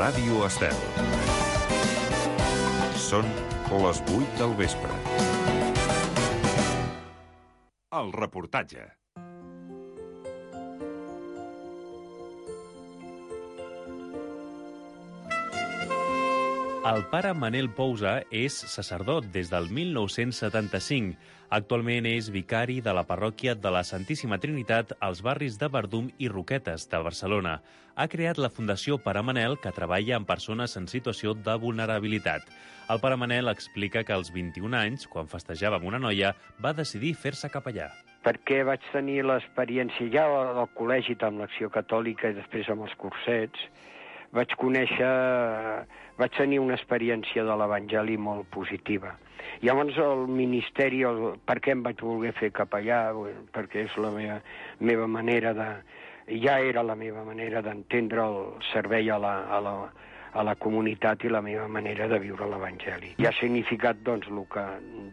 Ràdio Estel. Són les 8 del vespre. El reportatge. El pare Manel Pousa és sacerdot des del 1975. Actualment és vicari de la parròquia de la Santíssima Trinitat als barris de Verdum i Roquetes de Barcelona. Ha creat la Fundació Pare Manel, que treballa amb persones en situació de vulnerabilitat. El pare Manel explica que als 21 anys, quan festejava amb una noia, va decidir fer-se capellà. Perquè vaig tenir l'experiència ja al col·legi amb l'Acció Catòlica i després amb els cursets. Vaig tenir una experiència de l'Evangeli molt positiva. Llavors el ministeri, per què em vaig voler fer capellà? Perquè és la meva manera de... Ja era la meva manera d'entendre el servei a la comunitat i la meva manera de viure l'Evangeli. I ha significat, doncs, el que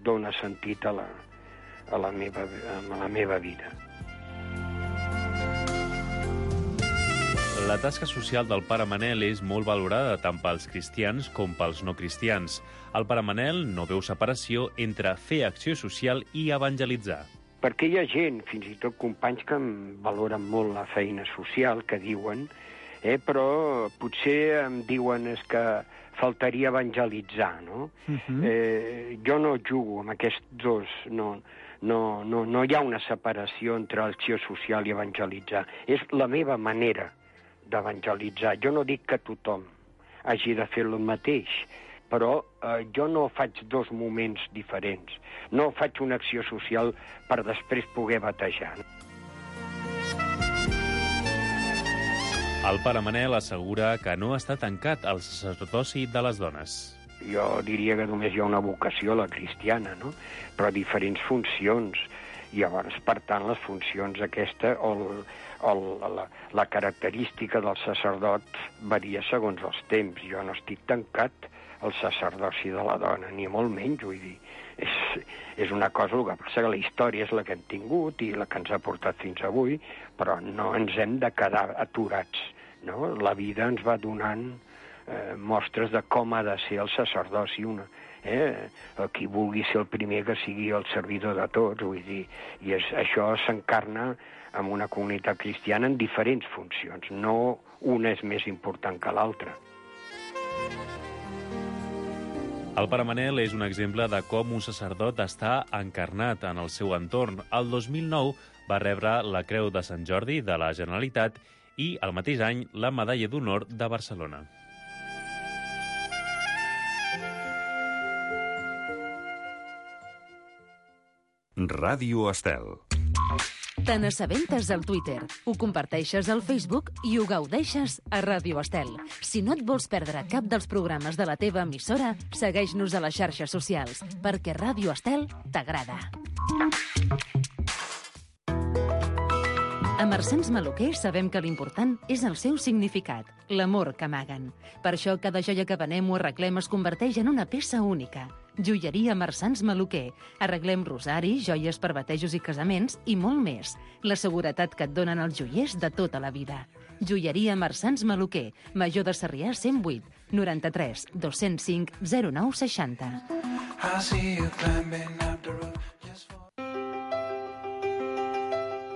dona sentit a la meva vida. La tasca social del pare Manel és molt valorada tant pels cristians com pels no cristians. El pare Manel no veu separació entre fer acció social i evangelitzar. Perquè hi ha gent, fins i tot companys, que valoren molt la feina social, que diuen, però potser em diuen que faltaria evangelitzar, no? Jo no jugo amb aquests dos, no hi ha una separació entre acció social i evangelitzar. És la meva manera d'evangelitzar. Jo no dic que tothom hagi de fer el mateix, però jo no faig dos moments diferents. No faig una acció social per després poder batejar. El pare Manel assegura que no està tancat al sacerdoci de les dones. Jo diria que només hi ha una vocació, la cristiana, no? Però diferents funcions. I llavors, per tant, les funcions aquesta la característica del sacerdot varia segons els temps. Jo no estic tancat al sacerdoci de la dona, ni molt menys, vull dir. És una cosa, el que passa que la història és la que hem tingut i la que ens ha portat fins avui, però no ens hem de quedar aturats, no? La vida ens va donant mostres de com ha de ser el sacerdoci. Qui vulgui ser el primer que sigui el servidor de tots, vull dir, i això s'encarna en una comunitat cristiana en diferents funcions, no una és més important que l'altra. El pare Manel és un exemple de com un sacerdot està encarnat en el seu entorn. El 2009 va rebre la Creu de Sant Jordi de la Generalitat i, el mateix any, la Medalla d'Honor de Barcelona. Ràdio Estel. Te n'assabentes al Twitter, ho comparteixes al Facebook i ho gaudeixes a Ràdio Estel. Si no et vols perdre cap dels programes de la teva emissora, segueix-nos a les xarxes socials, perquè Ràdio Estel t'agrada. A Marsans Maluquer sabem que l'important és el seu significat, l'amor que amaguen. Per això cada joia que venem o arreglem es converteix en una peça única. Joieria Marsans Maluquer. Arreglem rosaris, joies per batejos i casaments i molt més. La seguretat que et donen els joiers de tota la vida. Joieria Marsans Maluquer. Major de Sarrià 108 93 205 0960.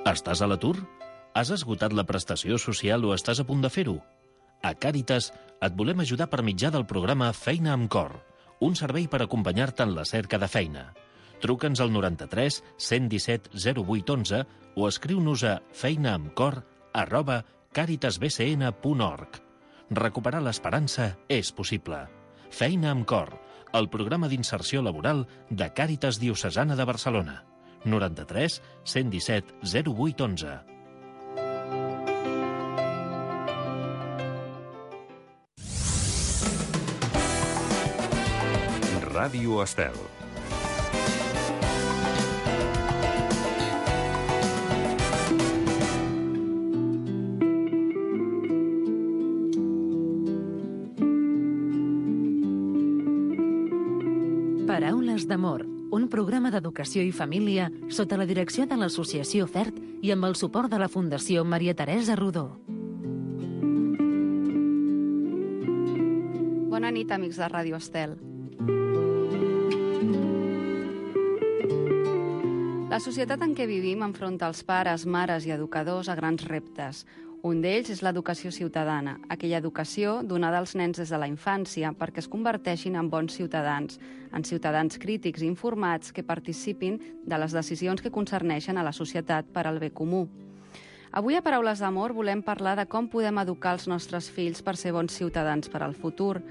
Estàs a l'atur? Has esgotat la prestació social o estàs a punt de fer-ho? A Càritas et volem ajudar per mitjà del programa Feina amb Cor, un servei per acompanyar-te en la cerca de feina. Truca'ns al 93 117 0811 o escriu-nos a feinaamcor@caritasbcn.org. Recuperar l'esperança és possible. Feina amb Cor, el programa d'inserció laboral de Càritas Diocesana de Barcelona. 93 117 0811. Ràdio Estel. Paraules d'amor, un programa d'educació i família sota la direcció de l'Associació FERT i amb el suport de la Fundació Maria Teresa Rodó. Bona nit, amics de Ràdio Estel. La societat en què vivim enfronta els pares, mares i educadors a grans reptes. Un d'ells és l'educació ciutadana, aquella educació donada als nens des de la infància perquè es converteixin en bons ciutadans, en ciutadans crítics i informats que participin de les decisions que concerneixen a la societat per al bé comú. Avui a Paraules d'Amor volem parlar de com podem educar els nostres fills per ser bons ciutadans per al futur.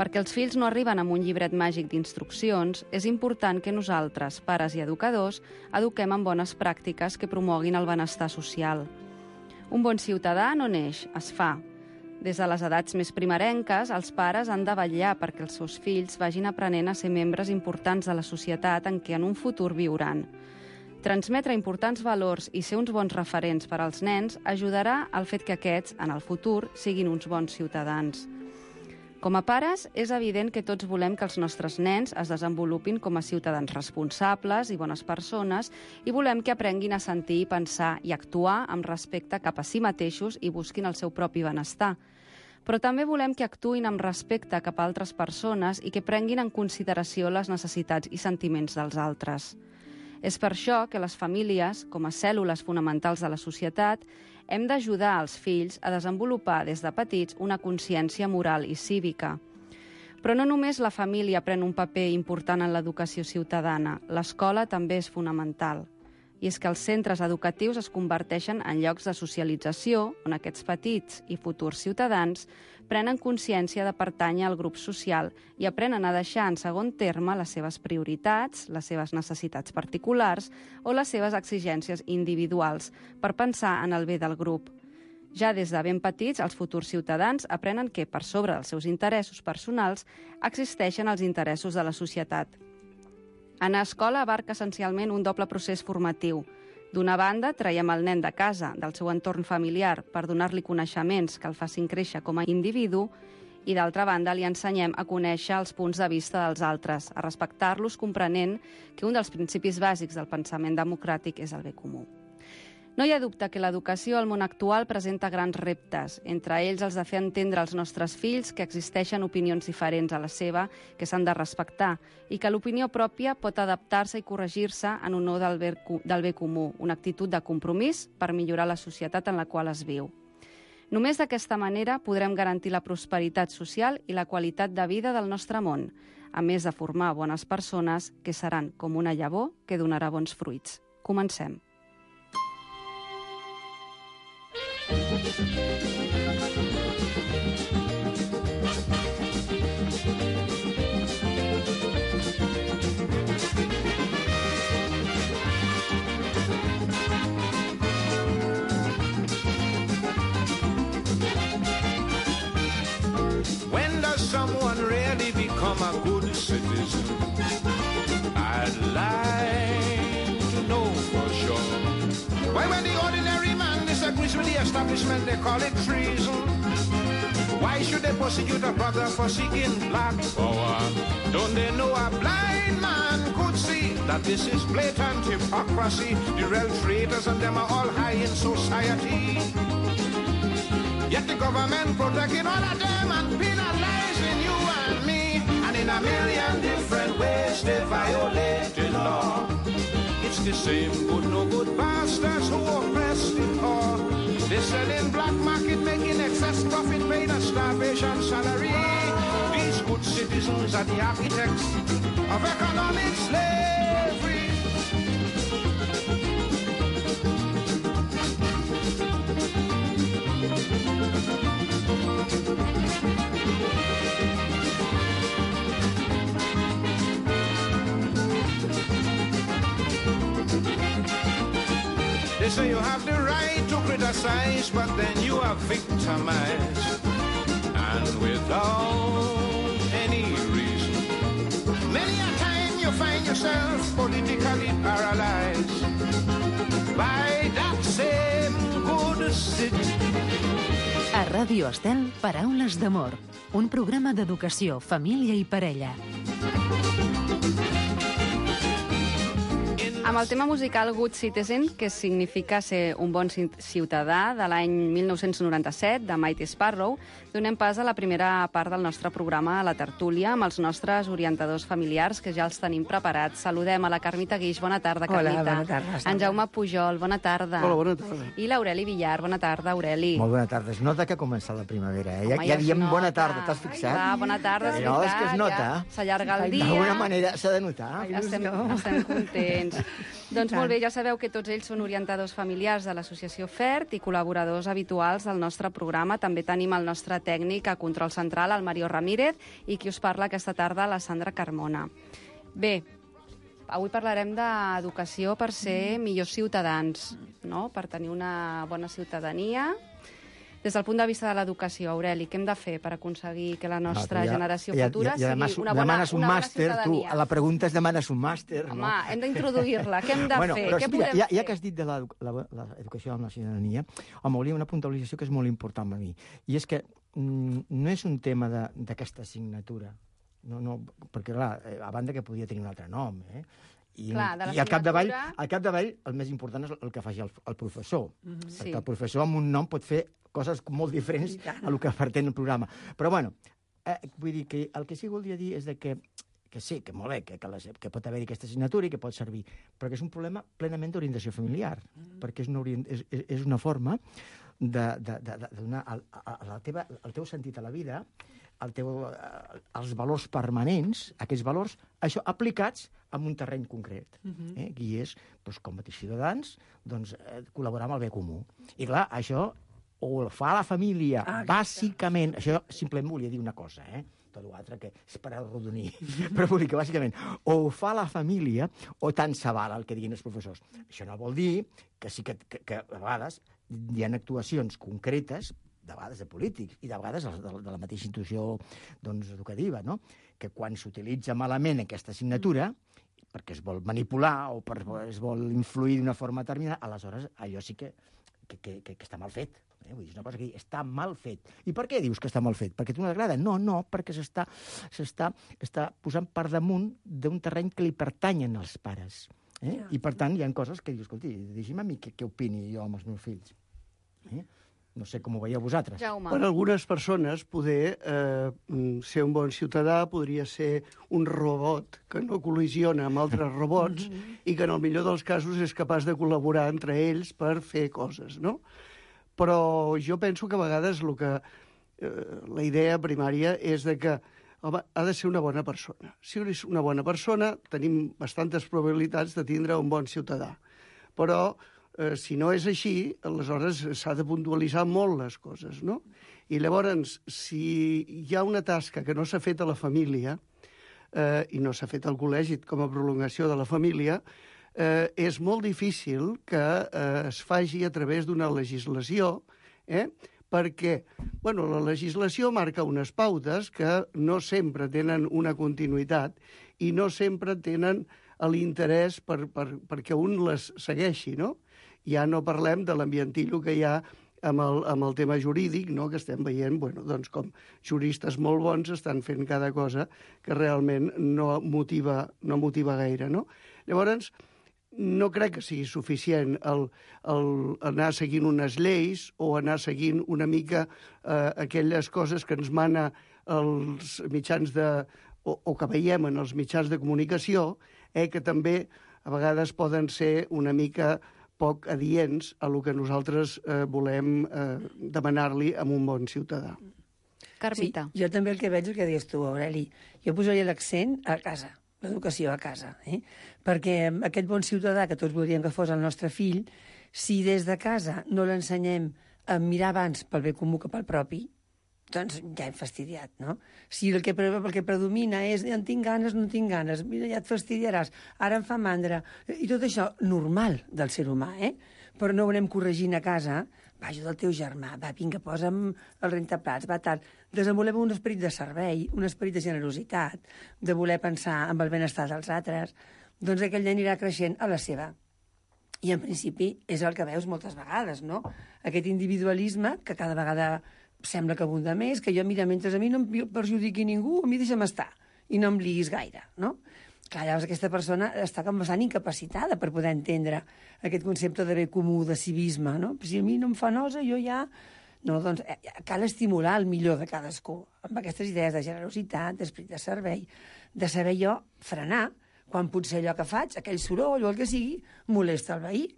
Perquè els fills no arriben amb un llibret màgic d'instruccions, és important que nosaltres, pares i educadors, eduquem en bones pràctiques que promoguin el benestar social. Un bon ciutadà no neix, es fa. Des de les edats més primerenques, els pares han de vetllar perquè els seus fills vagin aprenent a ser membres importants de la societat en què en un futur viuran. Transmetre importants valors i ser uns bons referents per als nens ajudarà al fet que aquests, en el futur, siguin uns bons ciutadans. Com a pares, és evident que tots volem que els nostres nens es desenvolupin com a ciutadans responsables i bones persones i volem que aprenguin a sentir, pensar i actuar amb respecte cap a si mateixos i busquin el seu propi benestar. Però també volem que actuïn amb respecte cap a altres persones i que prenguin en consideració les necessitats i sentiments dels altres. És per això que les famílies, com a cèl·lules fonamentals de la societat, hem d'ajudar els fills a desenvolupar des de petits una consciència moral i cívica. Però no només la família pren un paper important en l'educació ciutadana, l'escola també és fonamental. I és que els centres educatius es converteixen en llocs de socialització on aquests petits i futurs ciutadans prenen consciència de pertànyer al grup social i aprenen a deixar en segon terme les seves prioritats, les seves necessitats particulars o les seves exigències individuals per pensar en el bé del grup. Ja des de ben petits, els futurs ciutadans aprenen que, per sobre dels seus interessos personals, existeixen els interessos de la societat. Anar a escola abarca essencialment un doble procés formatiu. D'una banda, traiem el nen de casa, del seu entorn familiar, per donar-li coneixements que el facin créixer com a individu, i d'altra banda li ensenyem a conèixer els punts de vista dels altres, a respectar-los comprenent que un dels principis bàsics del pensament democràtic és el bé comú. No hi ha dubte que l'educació al món actual presenta grans reptes, entre ells els de fer entendre als nostres fills que existeixen opinions diferents a la seva, que s'han de respectar, i que l'opinió pròpia pot adaptar-se i corregir-se en honor del bé comú, una actitud de compromís per millorar la societat en la qual es viu. Només d'aquesta manera podrem garantir la prosperitat social i la qualitat de vida del nostre món, a més de formar bones persones que seran com una llavor que donarà bons fruits. Comencem. When does someone really become a good citizen? I'd like to know for sure. Why, when the ordinary man disagrees with the establishment, they call it treason. Why should they persecute a brother for seeking black power? Don't they know a blind man could see that this is blatant hypocrisy? The real traitors and them are all high in society. Yet the government protecting all of them and penalizing you and me. And in a million different ways they violate the law. It's the same good, no good bastards who oppress the poor. They sell in black market, making excess profit, paying a starvation salary. These good citizens are the architects of economic slavery. They say you have the right to criticize, but then you are victimized, and without any reason. Many a time you find yourself politically paralyzed by that same good city. A Ràdio Estel, Paraules d'Amor, un programa d'educació, família i parella. Amb el tema musical Good Citizen, que significa ser un bon ciutadà, de l'any 1997, de Mighty Sparrow, donem pas a la primera part del nostre programa, a la tertúlia, amb els nostres orientadors familiars, que ja els tenim preparats. Saludem a la Carmita Guix. Bona tarda, Carmita. Hola, bona tarda. En Jaume Pujol, bona tarda. Hola, bona tarda. I l'Aureli Villar. Bona tarda, Aureli. Molt bona tarda. Es nota que ha començat la primavera, eh? Home, Ja diem es bona nota. tarda, t'has fixat? Va, bona tarda, és No, és que es veritat, nota. ja s'allarga el dia. D'alguna manera s'ha de notar. Estem contents. Doncs molt bé, ja sabeu que tots ells són orientadors familiars de l'associació FERT i col·laboradors habituals del nostre programa. També tenim el nostre tècnic a control central, el Mario Ramírez, i qui us parla aquesta tarda, la Sandra Carmona. Bé, avui parlarem d'educació per ser millors ciutadans, no? Per tenir una bona ciutadania. Des del punt de vista de l'educació, Aureli, què hem de fer per aconseguir que la nostra generació futura sigui una bona ciutadania? Tu, ciutadania? a la pregunta és demanes un màster, no? Home, hem d'introduir-la. Què hem de fer? Però, Què mira, podem fer? ja que has dit de l'educació de la ciutadania, home, hauria una puntualització que és molt important per mi, i és que no és un tema d'aquesta assignatura, no, perquè, clar, a banda que podia tenir un altre nom, I al capdavall el més important és el que faci el professor, perquè el professor amb un nom pot fer coses molt diferents a el que pretén el programa. Però, bueno, vull dir que el que sí que voldria dir és que sí, que molt bé, que pot haver-hi aquesta assignatura i que pot servir, però que és un problema plenament d'orientació familiar, perquè és una forma de donar el teu sentit a la vida, els valors permanents, aquests valors, això aplicats en un terreny concret. I és, com a ciutadans, col·laborar amb el bé comú. I clar, això o el fa la família, bàsicament, això simplement volia dir una cosa, tot l'altre que és per arrodonir, però vull dir que bàsicament o ho fa la família o tant se val el que diguin els professors. Això no vol dir que sí que a vegades hi ha actuacions concretes, de vegades de polítics i de vegades de la mateixa institució educativa, no? Que quan s'utilitza malament aquesta assignatura, perquè es vol manipular o es vol influir d'una forma determinada, aleshores allò sí que està mal fet. Vull dir, és una cosa que està mal fet. I per què dius que està mal fet? Perquè a tu no t'agrada? No, perquè s'està posant per damunt d'un terreny que li pertanyen als pares. I per tant hi ha coses que dius, escolti, deixi'm a mi què opini jo amb els meus fills. No sé com ho veieu vosaltres. Jaume. Per algunes persones poder ser un bon ciutadà podria ser un robot que no col·lisiona amb altres robots i que en el millor dels casos és capaç de col·laborar entre ells per fer coses, no? Però jo penso que a vegades la idea primària és que home, ha de ser una bona persona. Si és una bona persona, tenim bastantes probabilitats de tindre un bon ciutadà. Però si no és així, aleshores s'ha de puntualitzar molt les coses, no? I llavors, si hi ha una tasca que no s'ha fet a la família i no s'ha fet al col·legi com a prolongació de la família, és molt difícil que es faci a través d'una legislació, perquè la legislació marca unes pautes que no sempre tenen una continuïtat i no sempre tenen l'interès perquè un les segueixi, no? Ja no parlem de l'ambientillo que hi ha amb el tema jurídic, no? Que estem veient com juristes molt bons estan fent cada cosa que realment no motiva gaire, no? Llavors, no crec que sigui suficient anar seguint unes lleis o anar seguint una mica aquelles coses que ens mana els mitjans o que veiem en els mitjans de comunicació, que també a vegades poden ser una mica poc adients a el que nosaltres volem demanar-li a un bon ciutadà. Carmita. Sí, jo també el que veig és el que deies tu, Aureli. Jo posaria l'accent a casa, l'educació a casa, perquè aquest bon ciutadà que tots voldríem que fos el nostre fill, si des de casa no l'ensenyem a mirar abans pel bé comú que pel propi, doncs ja hem fastidiat, no? Si el que predomina és en tinc ganes, no tinc ganes, mira, ja et fastidiaràs, ara em fa mandra, i tot això normal del ser humà, però no ho anem corregint a casa, va, ajuda el teu germà, va, vinga, posa'm el rentaplats, va, tal. Desenvolupem un esperit de servei, un esperit de generositat, de voler pensar en el benestar dels altres, doncs aquell nen anirà creixent a la seva. I en principi és el que veus moltes vegades, no? Aquest individualisme que cada vegada sembla que abunda més, que jo, mira, mentre a mi no em perjudiqui ningú, a mi deixa'm estar i no em liguis gaire, no? Clar, llavors aquesta persona està com bastant incapacitada per poder entendre aquest concepte de bé comú, de civisme, no? Si a mi no em fa nosa, jo ja... No, doncs cal estimular el millor de cadascú, amb aquestes idees de generositat, d'esperit de servei, de saber jo frenar quan potser allò que faig, aquell soroll o el que sigui, molesta el veí,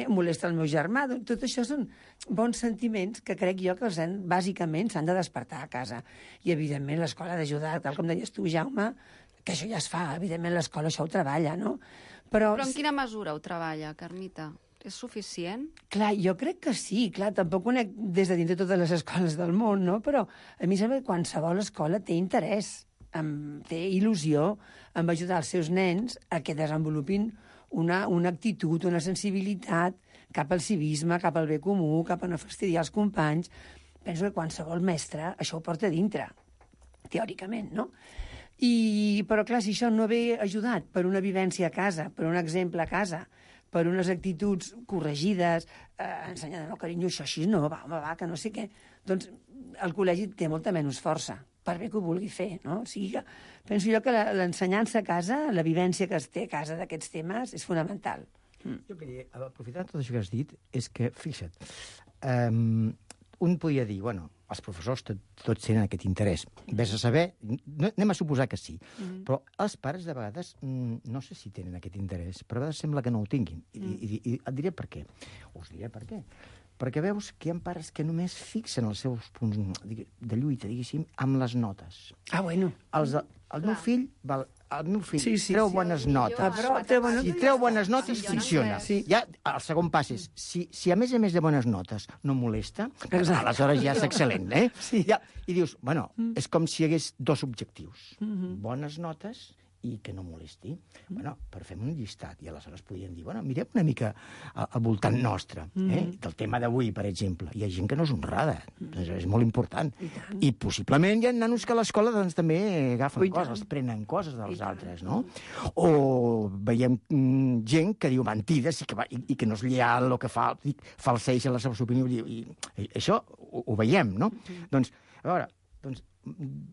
molesta el meu germà. Tot això són bons sentiments que crec jo que bàsicament s'han de despertar a casa. I, evidentment, l'escola ha d'ajudar, tal com deies tu, Jaume, que això ja es fa. Evidentment, l'escola això ho treballa, no? Però en quina mesura ho treballa, Carmita? És suficient? Clar, jo crec que sí. Clar, tampoc conec des de dintre totes les escoles del món, no? Però a mi sembla que qualsevol escola té interès, té il·lusió en ajudar els seus nens a que desenvolupin una actitud, una sensibilitat cap al civisme, cap al bé comú, cap a no fastidiar els companys. Penso que qualsevol mestre això ho porta dintre, teòricament, no? Però, clar, si això no ve ajudat per una vivència a casa, per un exemple a casa, per unes actituds corregides, ensenyant, no, carinyo, això així no, va, home, va, que no sé què, doncs el col·legi té molta menys força, per bé que ho vulgui fer, no? O sigui que penso jo que l'ensenyança a casa, la vivència que es té a casa d'aquests temes, és fonamental. Jo queria, aprofitant tot això que has dit, és que, fixa't, un podia dir, bueno, els professors tots tenen aquest interès. Ves a saber, anem a suposar que sí, però els pares de vegades no sé si tenen aquest interès, però a vegades sembla que no ho tinguin. I et diré per què. Us diré per què. Perquè veus que hi ha pares que només fixen els seus punts de lluita, diguéssim, amb les notes. Ah, bueno. El meu fill treu bones notes. Si treu bones notes, funciona. Ja, el segon pas és, si a més de bones notes no molesta, aleshores ja és excel·lent, eh? I dius, bueno, és com si hi hagués dos objectius. Bones notes i que no molesti. Bueno, per fer un llistat. I aleshores podríem dir, bueno, mirem una mica al voltant nostre, del tema d'avui, per exemple. Hi ha gent que no és honrada, doncs és molt important. I possiblement hi ha nanos que a l'escola doncs, també agafen coses, prenen coses dels altres, no? O veiem gent que diu mentides i que no és lleal o que falseja les seves opinions. I això ho veiem, no? Doncs, a veure,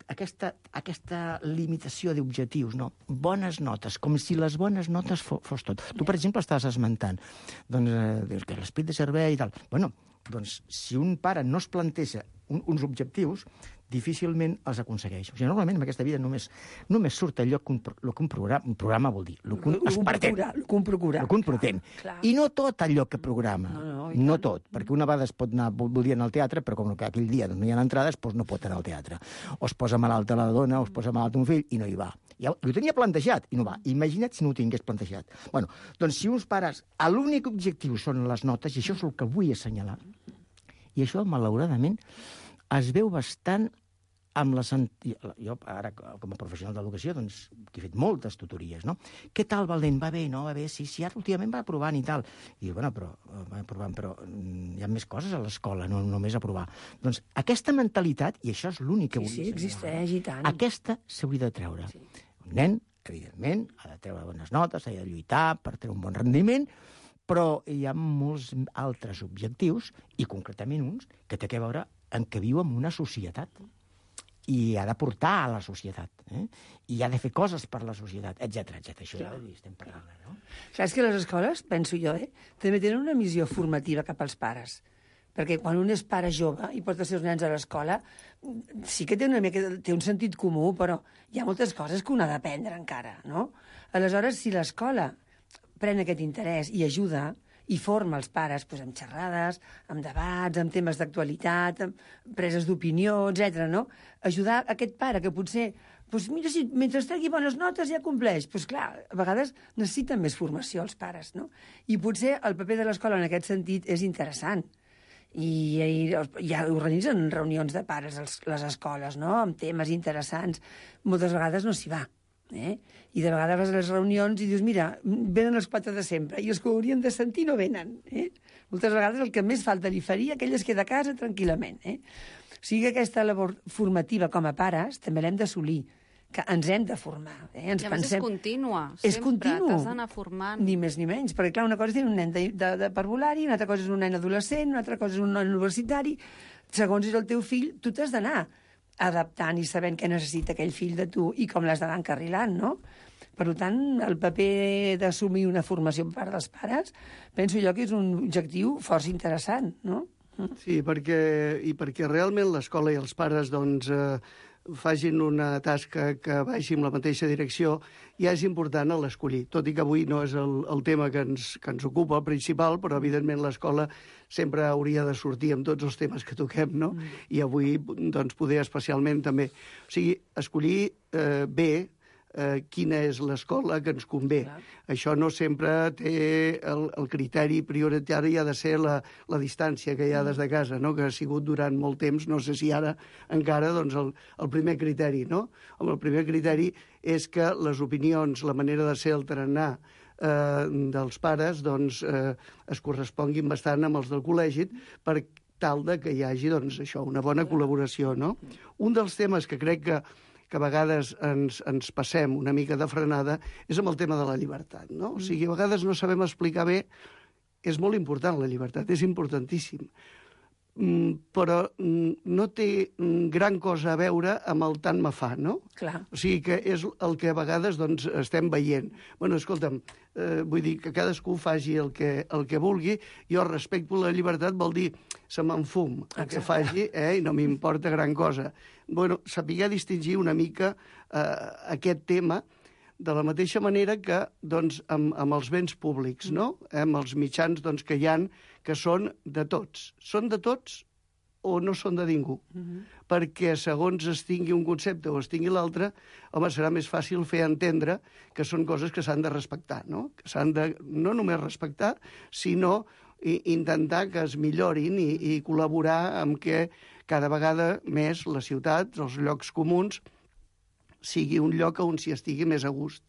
aquesta limitació d'objectius, no? Bones notes, com si les bones notes fos tot. Tu, per exemple, estàs esmentant dius que l'esperit de servei i tal. Bueno, doncs, si un pare no es planteja uns objectius, difícilment els aconsegueix. O sigui, normalment en aquesta vida només surt allò que un programa vol dir. El que un pretén. I no tot allò que programa. No tot. Perquè una vegada es pot anar, voldria anar al teatre, però com que aquell dia no hi ha entrades, doncs no pot anar al teatre. O es posa malalta la dona, o es posa malalt un fill, i no hi va. Ja ho tenia plantejat, i no va. Imagina't si no ho tingués plantejat. Bueno, doncs si uns pares, l'únic objectiu són les notes, i això és el que vull assenyalar, i això, malauradament, es veu bastant amb les... Jo, ara, com a professional d'educació, doncs, he fet moltes tutories, no? Què tal, Valent? Va bé, no? Va bé, sí, ara últimament va aprovant i tal. I diu, bueno, però hi ha més coses a l'escola, no només aprovar. Doncs aquesta mentalitat, i això és l'únic que vull dir, existeix, i tant. Aquesta s'hauria de treure. Un nen, evidentment, ha de treure bones notes, ha de lluitar per treure un bon rendiment, però hi ha molts altres objectius, i concretament uns, que té a veure en què viu en una societat. I ha de portar a la societat, i ha de fer coses per la societat, etc. Això ja estem parlant, no? Clar, és que les escoles, penso jo, també tenen una missió formativa cap als pares. Perquè quan un és pare jove i porta els seus nens a l'escola, sí que té un sentit comú, però hi ha moltes coses que un ha d'aprendre encara, no? Aleshores, si l'escola pren aquest interès i ajuda, i forma els pares amb xerrades, amb debats, amb temes d'actualitat, amb preses d'opinió, etc. No? Ajudar aquest pare que potser, mira, si mentre tregui bones notes ja compleix. Clar, a vegades necessiten més formació els pares, no? I potser el paper de l'escola en aquest sentit és interessant. I ja organitzen reunions de pares les escoles, no? Amb temes interessants. Moltes vegades no s'hi va. I de vegades vas a les reunions i dius, mira, venen els 4 de sempre, i els que ho haurien de sentir no venen. Moltes vegades el que més falta li faria, aquell es queda a casa tranquil·lament. O sigui que aquesta labor formativa com a pares també l'hem d'assolir, que ens hem de formar. I a més és contínua, és sempre t'has d'anar formant. Ni més ni menys, perquè clar, una cosa és tenir un nen de parvulari, una altra cosa és un nen adolescent, una altra cosa és un nen universitari. Segons és el teu fill, tu t'has d'anar adaptant i sabent què necessita aquell fill de tu i com l'has d'anar encarrilant, no? Per tant, el paper d'assumir una formació per part dels pares, penso jo que és un objectiu força interessant, no? Sí, perquè realment l'escola i els pares doncs, facin una tasca que vagi en la mateixa direcció, ja és important l'escollir. Tot i que avui no és el tema que ens ocupa, el principal, però evidentment l'escola sempre hauria de sortir amb tots els temes que toquem, no? I avui, doncs, poder especialment també. O sigui, escollir bé quina és l'escola que ens convé. Clar. Això no sempre té el criteri prioritari, ha de ser la distància que hi ha des de casa, no? Que ha sigut durant molt temps, no sé si ara encara, doncs el primer criteri, no? El primer criteri és que les opinions, la manera de ser, el tarannà dels pares, doncs es corresponguin bastant amb els del col·legi per tal de que hi hagi, doncs, això, una bona col·laboració, no? Un dels temes que crec que a vegades ens passem una mica de frenada, és amb el tema de la llibertat, no? O sigui, a vegades no sabem explicar bé, és molt important la llibertat, és importantíssim, però no té gran cosa a veure amb el tant me fa, no? Clar. O sigui que és el que a vegades doncs, estem veient. Bueno, escolta'm, vull dir que cadascú faci el que vulgui, jo respecto la llibertat, vol dir se m'enfum el que faci, i no m'importa gran cosa. Bueno, saber distingir una mica aquest tema de la mateixa manera que doncs, amb els béns públics, no? Amb els mitjans doncs, que hi ha, que són de tots. Són de tots o no són de ningú? Perquè segons es tingui un concepte o es tingui l'altre, home, serà més fàcil fer entendre que són coses que s'han de respectar, no? Que s'han de no només respectar, sinó intentar que es millorin i col·laborar amb que cada vegada més les ciutats, els llocs comuns, sigui un lloc on s'hi estigui més a gust.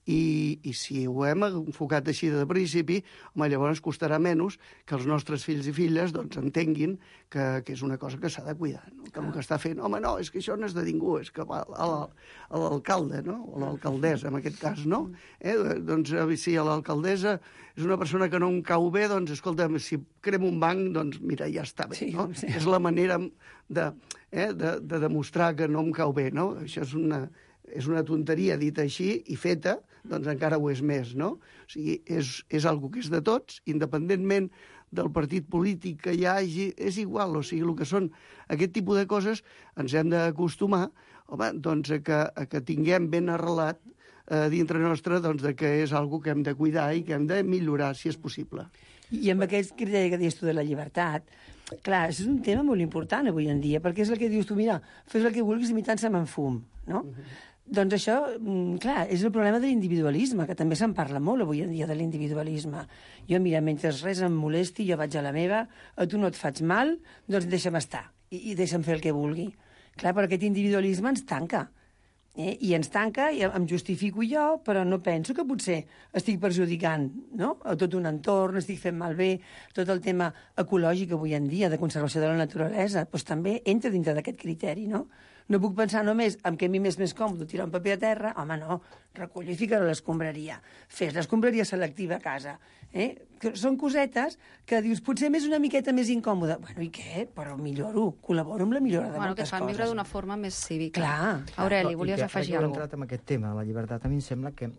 I si ho hem enfocat així de principi, home, llavors costarà menys que els nostres fills i filles doncs, entenguin que és una cosa que s'ha de cuidar, no? Que el que està fent, home, no, és que això no és de ningú, és que va l'alcalde, no? O l'alcaldessa, en aquest cas, no? Doncs si l'alcaldessa és una persona que no em cau bé, doncs, escolta'm, si crem un banc, doncs, mira, ja està bé, no? Sí. És la manera de demostrar que no em cau bé, no? Això és una tonteria dita així i feta, doncs encara ho és més, no? O sigui, és algo que és de tots, independentment del partit polític que hi hagi, és igual, o sigui, el que són aquest tipus de coses ens hem d'acostumar, home, doncs a que tinguem ben arrelat dintre nostre doncs, que és algo que hem de cuidar i que hem de millorar, si és possible. I amb aquest criteri que dius tu de la llibertat, clar, és un tema molt important avui en dia, perquè és el que dius tu, mira, fes el que vulguis i tant se me'n fum, no? Doncs això, clar, és el problema de l'individualisme, que també se'n parla molt avui en dia de l'individualisme. Jo, mira, mentre res em molesti, jo vaig a la meva, a tu no et faig mal, doncs deixa'm estar i deixa'm fer el que vulgui. Clar, però aquest individualisme ens tanca. I ens tanca, i em justifico jo, però no penso que potser estic perjudicant, no? A tot un entorn, estic fent malbé, tot el tema ecològic avui en dia, de conservació de la naturalesa, doncs també entra dintre d'aquest criteri, no? No puc pensar només en que a mi m'és més còmode tirar un paper a terra, home, no, recollir i ficar-ho a l'escombraria. Fes l'escombraria selectiva a casa. Que són cosetes que dius, potser m'és una miqueta més incòmode. Bueno, i què? Però milloro, col·laboro amb la millora de moltes coses. Que fan viure d'una forma més cívica. Clar. Aureli, volies afegir alguna cosa? Entrat en aquest tema de la llibertat, a mi em sembla que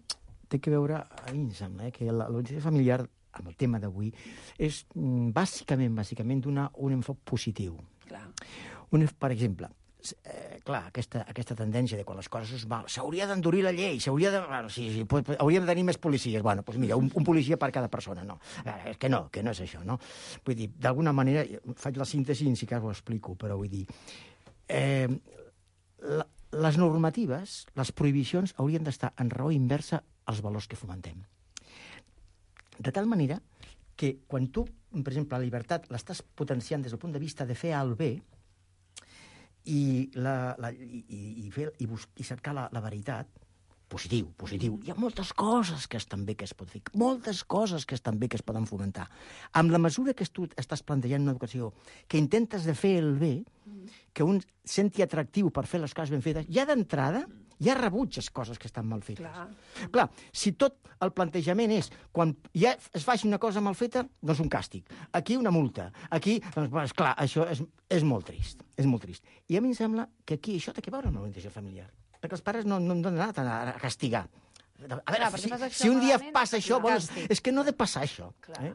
té que veure, a mi em sembla, que l'organització familiar, amb el tema d'avui, és bàsicament donar un enfoc positiu. Clar. Per exemple, clar, aquesta tendència de quan les coses es mal, s'hauria d'endurir la llei, hauríem de tenir més policies. Bueno, doncs mira, un policia per cada persona, no. És que no és això, no? Vull dir, d'alguna manera, faig la síntesi i si cas ho explico, però vull dir, les normatives, les prohibicions haurien d'estar en raó inversa als valors que fomentem. De tal manera que quan tu, per exemple, la llibertat l'estàs potenciant des del punt de vista de fer el bé, i cercar la veritat, positiu. Hi ha moltes coses que estan bé que es pot fer, moltes coses que estan bé que es poden fomentar. Amb la mesura que tu estàs plantejant una educació que intentes de fer el bé, que un senti atractiu per fer les coses ben fetes, ja d'entrada ja rebutges coses que estan mal fetes. Clar, si tot el plantejament és quan ja es faci una cosa mal feta, doncs un càstig. Aquí una multa. Aquí, doncs, clar, això és molt trist. És molt trist. I a mi em sembla que aquí això té que veure amb l'orientació familiar. Perquè els pares no han d'anar a castigar. A veure, si un dia passa això, bueno, és que no ha de passar això.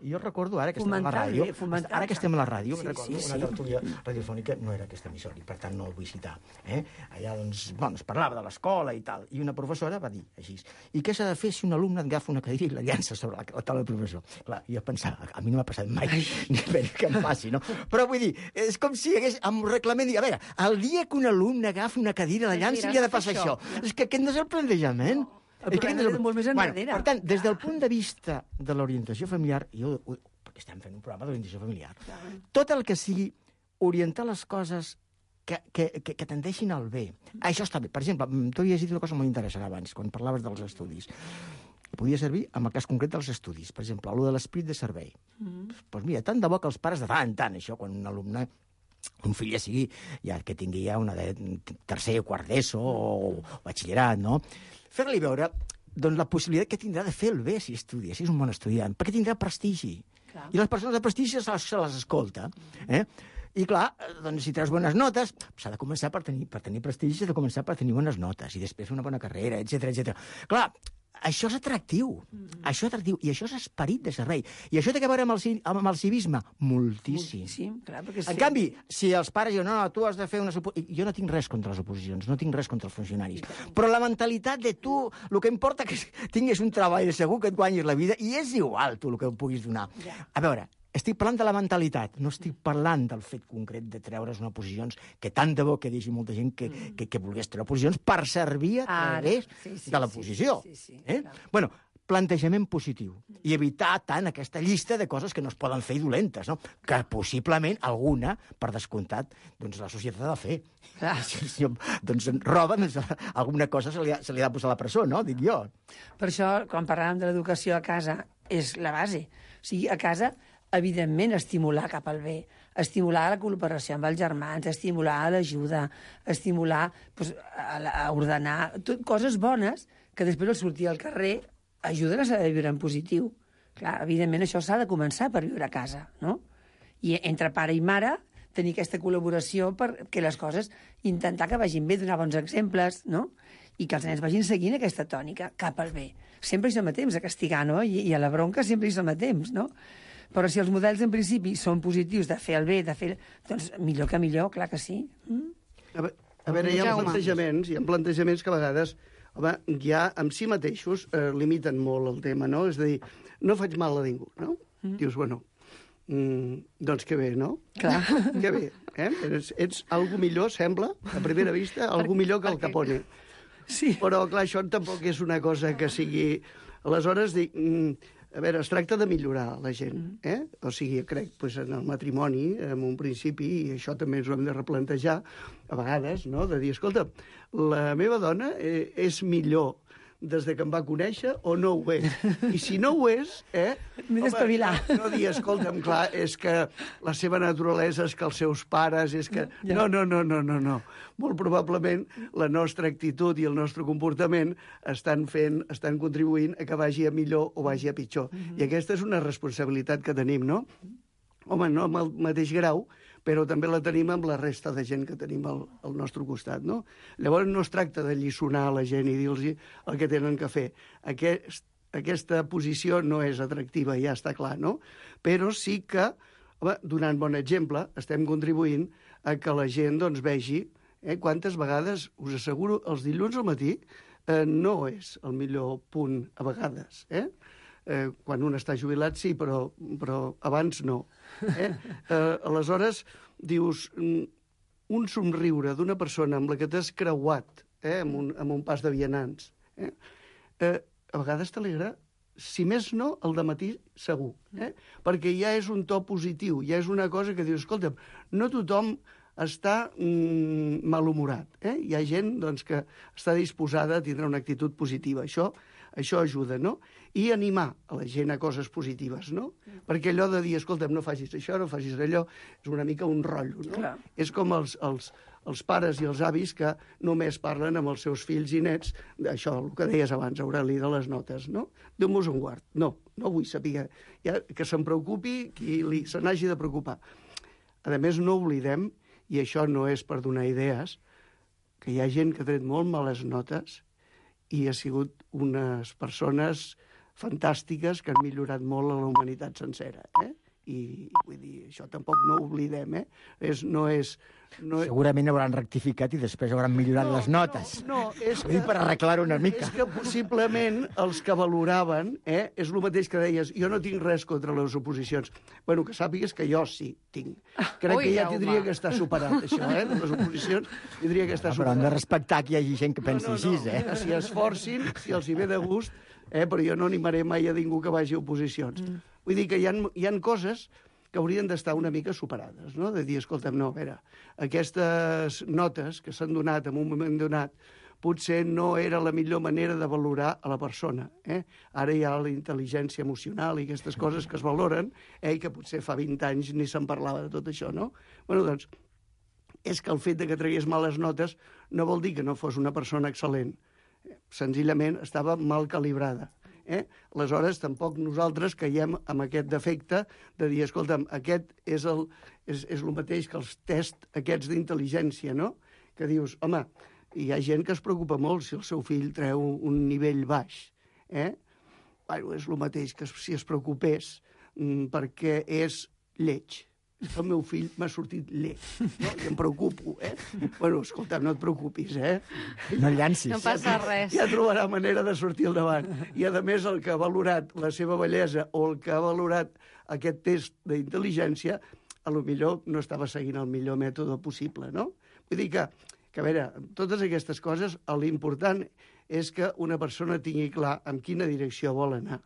Jo recordo, ara que estem a la ràdio, una tertúlia radiofònica, no era aquesta emissora, i per tant no el vull citar. Allà, doncs, es parlava de l'escola i tal, i una professora va dir així, i què s'ha de fer si un alumne agafa una cadira i la llança sobre la taula del professor? Clar, jo pensava, a mi no m'ha passat mai, ni que em passi, no? Però vull dir, és com si hagués, amb un reglament, a veure, el dia que un alumne agafa una cadira i la llança li ha de passar això. És que aquest no és el plantejament. El problema és molt més enrere. Per tant, des del punt de vista de l'orientació familiar, perquè estem fent un programa d'orientació familiar, tot el que sigui orientar les coses que tendeixin al bé, això està bé. Per exemple, tu havies dit una cosa molt interessant abans, quan parlaves dels estudis. Podia servir en el cas concret dels estudis. Per exemple, allò de l'esperit de servei. Doncs mira, tant de bo que els pares de tant en tant, això, quan un alumne, un fill ja sigui, que tingui ja una de tercer o quart d'ESO o batxillerat, no? Fer-li veure doncs, la possibilitat que tindrà de fer el bé si estudia, si és un bon estudiant, perquè tindrà prestigi. I les persones de prestigi se les escolta. I clar, doncs, si treus bones notes, s'ha de començar per tenir prestigi, s'ha de començar per tenir bones notes, i després fer una bona carrera, etc. Clar, això és atractiu, i això és esperit de servei. I això té a veure amb el civisme? Moltíssim. Clar, perquè en canvi, si els pares diuen, no, tu has de fer una... Jo no tinc res contra les oposicions, no tinc res contra els funcionaris, però la mentalitat de tu, el que importa que tinguis un treball segur, que et guanyis la vida, i és igual tu el que puguis donar. A veure, estic parlant de la mentalitat, no estic parlant del fet concret de treure's unes posicions, que tant de bo que deixi molta gent que volgués treure posicions per servir a través de la posició. Bueno, plantejament positiu i evitar tant aquesta llista de coses que no es poden fer i dolentes, no? Que possiblement alguna, per descomptat, doncs la societat ha de fer. Si doncs roba, doncs alguna cosa se li ha de posar a la presó, no? Dic jo. Per això, quan parlàvem de l'educació a casa, és la base. O sigui, a casa, evidentment, estimular cap al bé, estimular la cooperació amb els germans, estimular l'ajuda, estimular a ordenar, coses bones que després al sortir al carrer ajuden a saber viure en positiu. Clar, evidentment, això s'ha de començar per viure a casa, no? I entre pare i mare tenir aquesta col·laboració perquè les coses, intentar que vagin bé, donar bons exemples, no? I que els nens vagin seguint aquesta tònica cap al bé. Sempre hi som a temps a castigar, no? I a la bronca sempre hi som a temps, no? Però si els models, en principi, són positius, de fer el bé, doncs millor que millor, clar que sí. A veure, hi ha plantejaments que a vegades, home, ja amb si mateixos limiten molt el tema, no? És a dir, no faig mal a ningú, no? Dius, bueno, doncs que bé, no? Clar. Que bé, Ets algú millor, sembla, a primera vista, algú millor que el Capone. Sí. Però, clar, això tampoc és una cosa que sigui... Aleshores, dic... A veure, es tracta de millorar la gent, O sigui, crec, en el matrimoni, en un principi, i això també ens ho hem de replantejar, a vegades, no?, de dir, escolta, la meva dona és millor des de que em va conèixer o no ho és. I si no ho és, m'he d'espavilar. No dir, escolta'm, clar, és que la seva naturalesa és que els seus pares, és que... No. Molt probablement la nostra actitud i el nostre comportament estan contribuint a que vagi a millor o vagi a pitjor. I aquesta és una responsabilitat que tenim, no? Home, no amb el mateix grau, però també la tenim amb la resta de gent que tenim al nostre costat, no? Llavors no es tracta de lliçonar la gent i dir-los el que tenen que fer. Aquesta posició no és atractiva, ja està clar, no? Però sí que, home, donant bon exemple, estem contribuint a que la gent doncs, vegi quantes vegades, us asseguro, els dilluns al matí no és el millor punt a vegades, quan un està jubilat sí, però abans no. Aleshores, dius, un somriure d'una persona amb la que t'has creuat amb un pas de vianants, a vegades t'alegra, si més no, el dematí segur, perquè ja és un to positiu, ja és una cosa que dius, escolta, no tothom està malhumorat. Hi ha gent doncs, que està disposada a tindre una actitud positiva. Això ajuda, no? I animar a la gent a coses positives, no? Perquè allò de dir, escolta'm, no facis això, no facis allò, és una mica un rotllo, no? Clar. És com els pares i els avis que només parlen amb els seus fills i nets d'això, el que deies abans, Aureli, de les notes, no? Déu-nos un guard. No vull saber. Que se'n preocupi qui se n'hagi de preocupar. A més, no oblidem, i això no és per donar idees, que hi ha gent que ha tret molt males notes i ha sigut unes persones fantàstiques que han millorat molt a la humanitat sencera, I vull dir, això tampoc no ho oblidem, No és... Segurament hauran rectificat i després hauran millorat les notes. No, és que... per arreglar-ho una mica. És que possiblement els que valoraven, és el mateix que deies, jo no tinc res contra les oposicions. Bueno, que sàpigues que jo sí tinc. Crec que ja tindria que estar superat, això, les oposicions tindria que estar superat. Però hem de respectar que hi hagi gent que pensi així, Que s'hi esforcin, si els hi ve de gust, però jo no animaré mai a ningú que vagi a oposicions. Vull dir que hi ha coses que haurien d'estar una mica superades, no? De dir, escolta'm, no, a veure, aquestes notes que s'han donat en un moment donat potser no era la millor manera de valorar a la persona. Ara hi ha la intel·ligència emocional i aquestes coses que es valoren, i que potser fa 20 anys ni se'n parlava de tot això, no? Bueno, doncs, és que el fet de que tragués males notes no vol dir que no fos una persona excel·lent. Senzillament estava mal calibrada. Aleshores, tampoc nosaltres caiem amb aquest defecte de dir, escolta'm, aquest és el mateix que els tests aquests d'intel·ligència, no? Que dius, home, hi ha gent que es preocupa molt si el seu fill treu un nivell baix. Bueno, és el mateix que si es preocupés perquè és lleig. El meu fill m'ha sortit lleig, no? I em preocupo, Bueno, escolta, no et preocupis, No llancis. No passa res. Ja trobarà manera de sortir al davant. I, a més, el que ha valorat la seva bellesa o el que ha valorat aquest test d'intel·ligència, a lo millor no estava seguint el millor mètode possible, no? Vull dir que a veure, totes aquestes coses, l'important és que una persona tingui clar en quina direcció vol anar.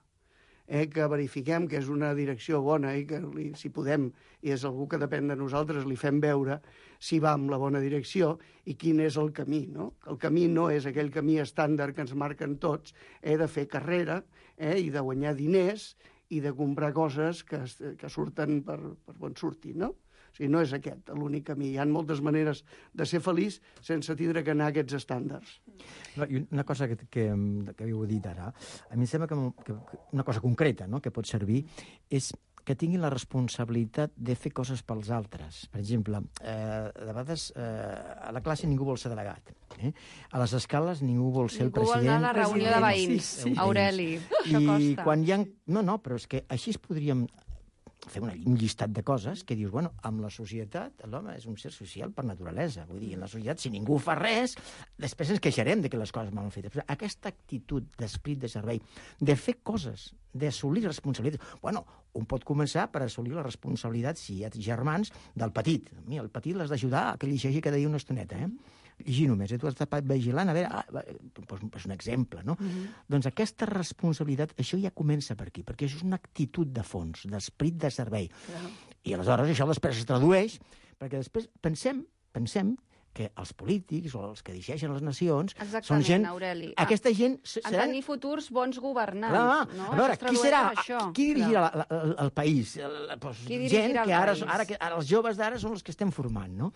Que verifiquem que és una direcció bona i que, si podem, i és algú que depèn de nosaltres, li fem veure si va en la bona direcció i quin és el camí, no? El camí no és aquell camí estàndard que ens marquen tots, de fer carrera i de guanyar diners i de comprar coses que surten per bon sortir, no? O sigui, no és aquest l'únic camí. Hi ha moltes maneres de ser feliç sense tindre que anar a aquests estàndards. No, i una cosa que havíeu dit ara, a mi em sembla que una cosa concreta, no?, que pot servir és que tinguin la responsabilitat de fer coses pels altres. Per exemple, de vegades a la classe ningú vol ser delegat. A les escales ningú vol ser el president. Ningú vol anar a la reunió de veïns, Aureli. Això costa. I quan hi ha... No, però és que així es podríem fer un llistat de coses que dius, bueno, amb la societat l'home és un ser social per naturalesa. Vull dir, en la societat, si ningú fa res, després ens queixarem de que les coses mal fetes. Però aquesta actitud d'esprit de servei, de fer coses, d'assolir responsabilitats... Bueno, un pot començar per assolir la responsabilitat, si hi ha germans, del petit. El petit l'has d'ajudar a que llegeixi cada dia una estoneta, llegir només, tu has estat vigilant, a veure, és un exemple, no? Doncs aquesta responsabilitat, això ja comença per aquí, perquè això és una actitud de fons, d'esperit de servei. I aleshores això després es tradueix, perquè després pensem que els polítics o els que dirigeixen les nacions són gent... Aureli. Aquesta gent... Han de tenir futurs bons governants. No? A veure, qui serà? Qui dirigirà el país? Qui dirigirà el país? Ara els joves d'ara són els que estem formant, no?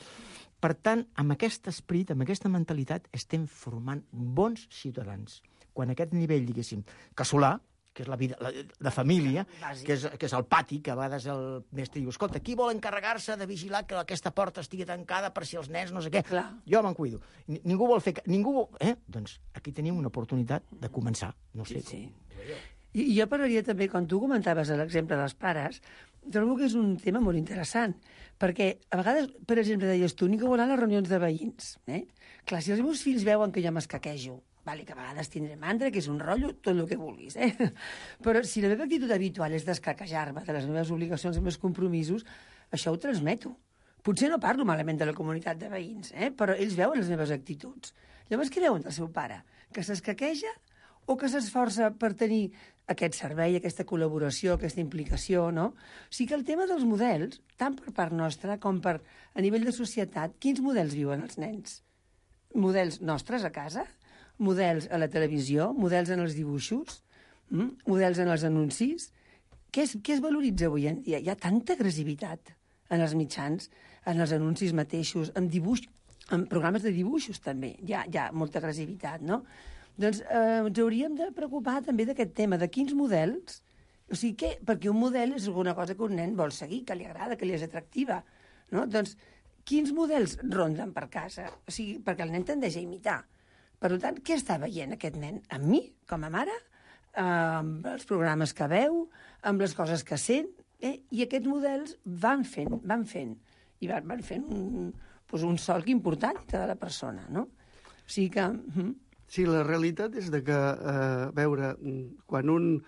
Per tant, amb aquest esperit, amb aquesta mentalitat, estem formant bons ciutadans. Quan aquest nivell, diguéssim, casolà, que és la vida de família, que és el pati, que a vegades el mestre diu, escolta, qui vol encarregar-se de vigilar que aquesta porta estigui tancada per si els nens no sé què? Clar. Jo me'n cuido. Ningú vol fer... Doncs aquí tenim una oportunitat de començar. No sé. Sí. I jo parlaria també, quan tu comentaves l'exemple dels pares, trobo que és un tema molt interessant, perquè a vegades, per exemple, deies tu, ningú vol anar a les reunions de veïns. Clar, si els meus fills veuen que jo m'escaquejo, que a vegades tindré mandra, que és un rotllo, tot el que vulguis, Però si la meva actitud habitual és d'escaquejar-me de les meves obligacions i meus compromisos, això ho transmeto. Potser no parlo malament de la comunitat de veïns, però ells veuen les meves actituds. Llavors, què veuen del seu pare? Que s'escaqueja o que s'esforça per tenir aquest servei, aquesta col·laboració, aquesta implicació, no? O sigui que el tema dels models, tant per part nostra com per a nivell de societat, quins models viuen els nens? Models nostres a casa? Models a la televisió? Models en els dibuixos? Models en els anuncis? Què es valoritza avui en dia? Hi ha tanta agressivitat en els mitjans, en els anuncis mateixos, en programes de dibuixos també. Hi ha molta agressivitat, no? Doncs ens hauríem de preocupar també d'aquest tema, de quins models... O sigui, perquè un model és alguna cosa que un nen vol seguir, que li agrada, que li és atractiva, no? Doncs quins models ronden per casa? O sigui, perquè el nen tendeix a imitar. Per tant, què està veient aquest nen? Amb mi, com a mare, amb els programes que veu, amb les coses que sent, i aquests models van fent, i van fent un solc important de la persona, no? O sigui que... Sí, la realitat és de que, a veure, quan un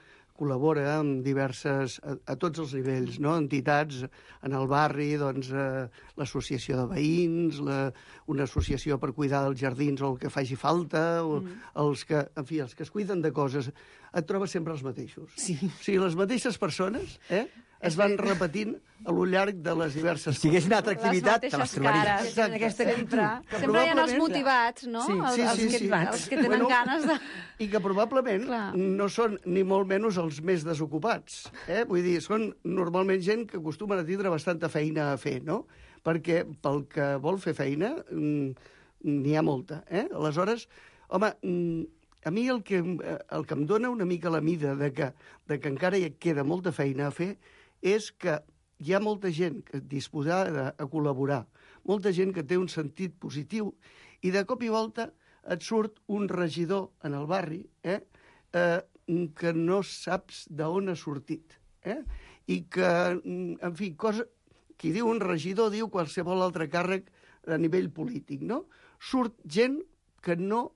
col·labora amb diverses, a tots els nivells, no? Entitats en el barri, doncs, l'associació de veïns, una associació per cuidar dels jardins o el que faci falta, o els que es cuiden de coses, et trobes sempre els mateixos. Sí. O sigui, les mateixes persones, es van repetint a lo llarg de les diverses... Si hagués una altra activitat, te les trobaries. Exacte. Aquesta que Sempre hi ha els motivats, no? Sí. Els que tenen ganes de... I que probablement no són ni molt menys els més desocupats. Vull dir, són normalment gent que acostumen a tindre bastanta feina a fer, no? Perquè pel que vol fer feina n'hi ha molta. Aleshores, home, a mi el que em dona una mica la mida de que encara hi queda molta feina a fer és que hi ha molta gent disposada a col·laborar, molta gent que té un sentit positiu, i de cop i volta et surt un regidor en el barri que no saps d'on ha sortit. I que, en fi, qui diu un regidor diu qualsevol altre càrrec a nivell polític, no? Surt gent que no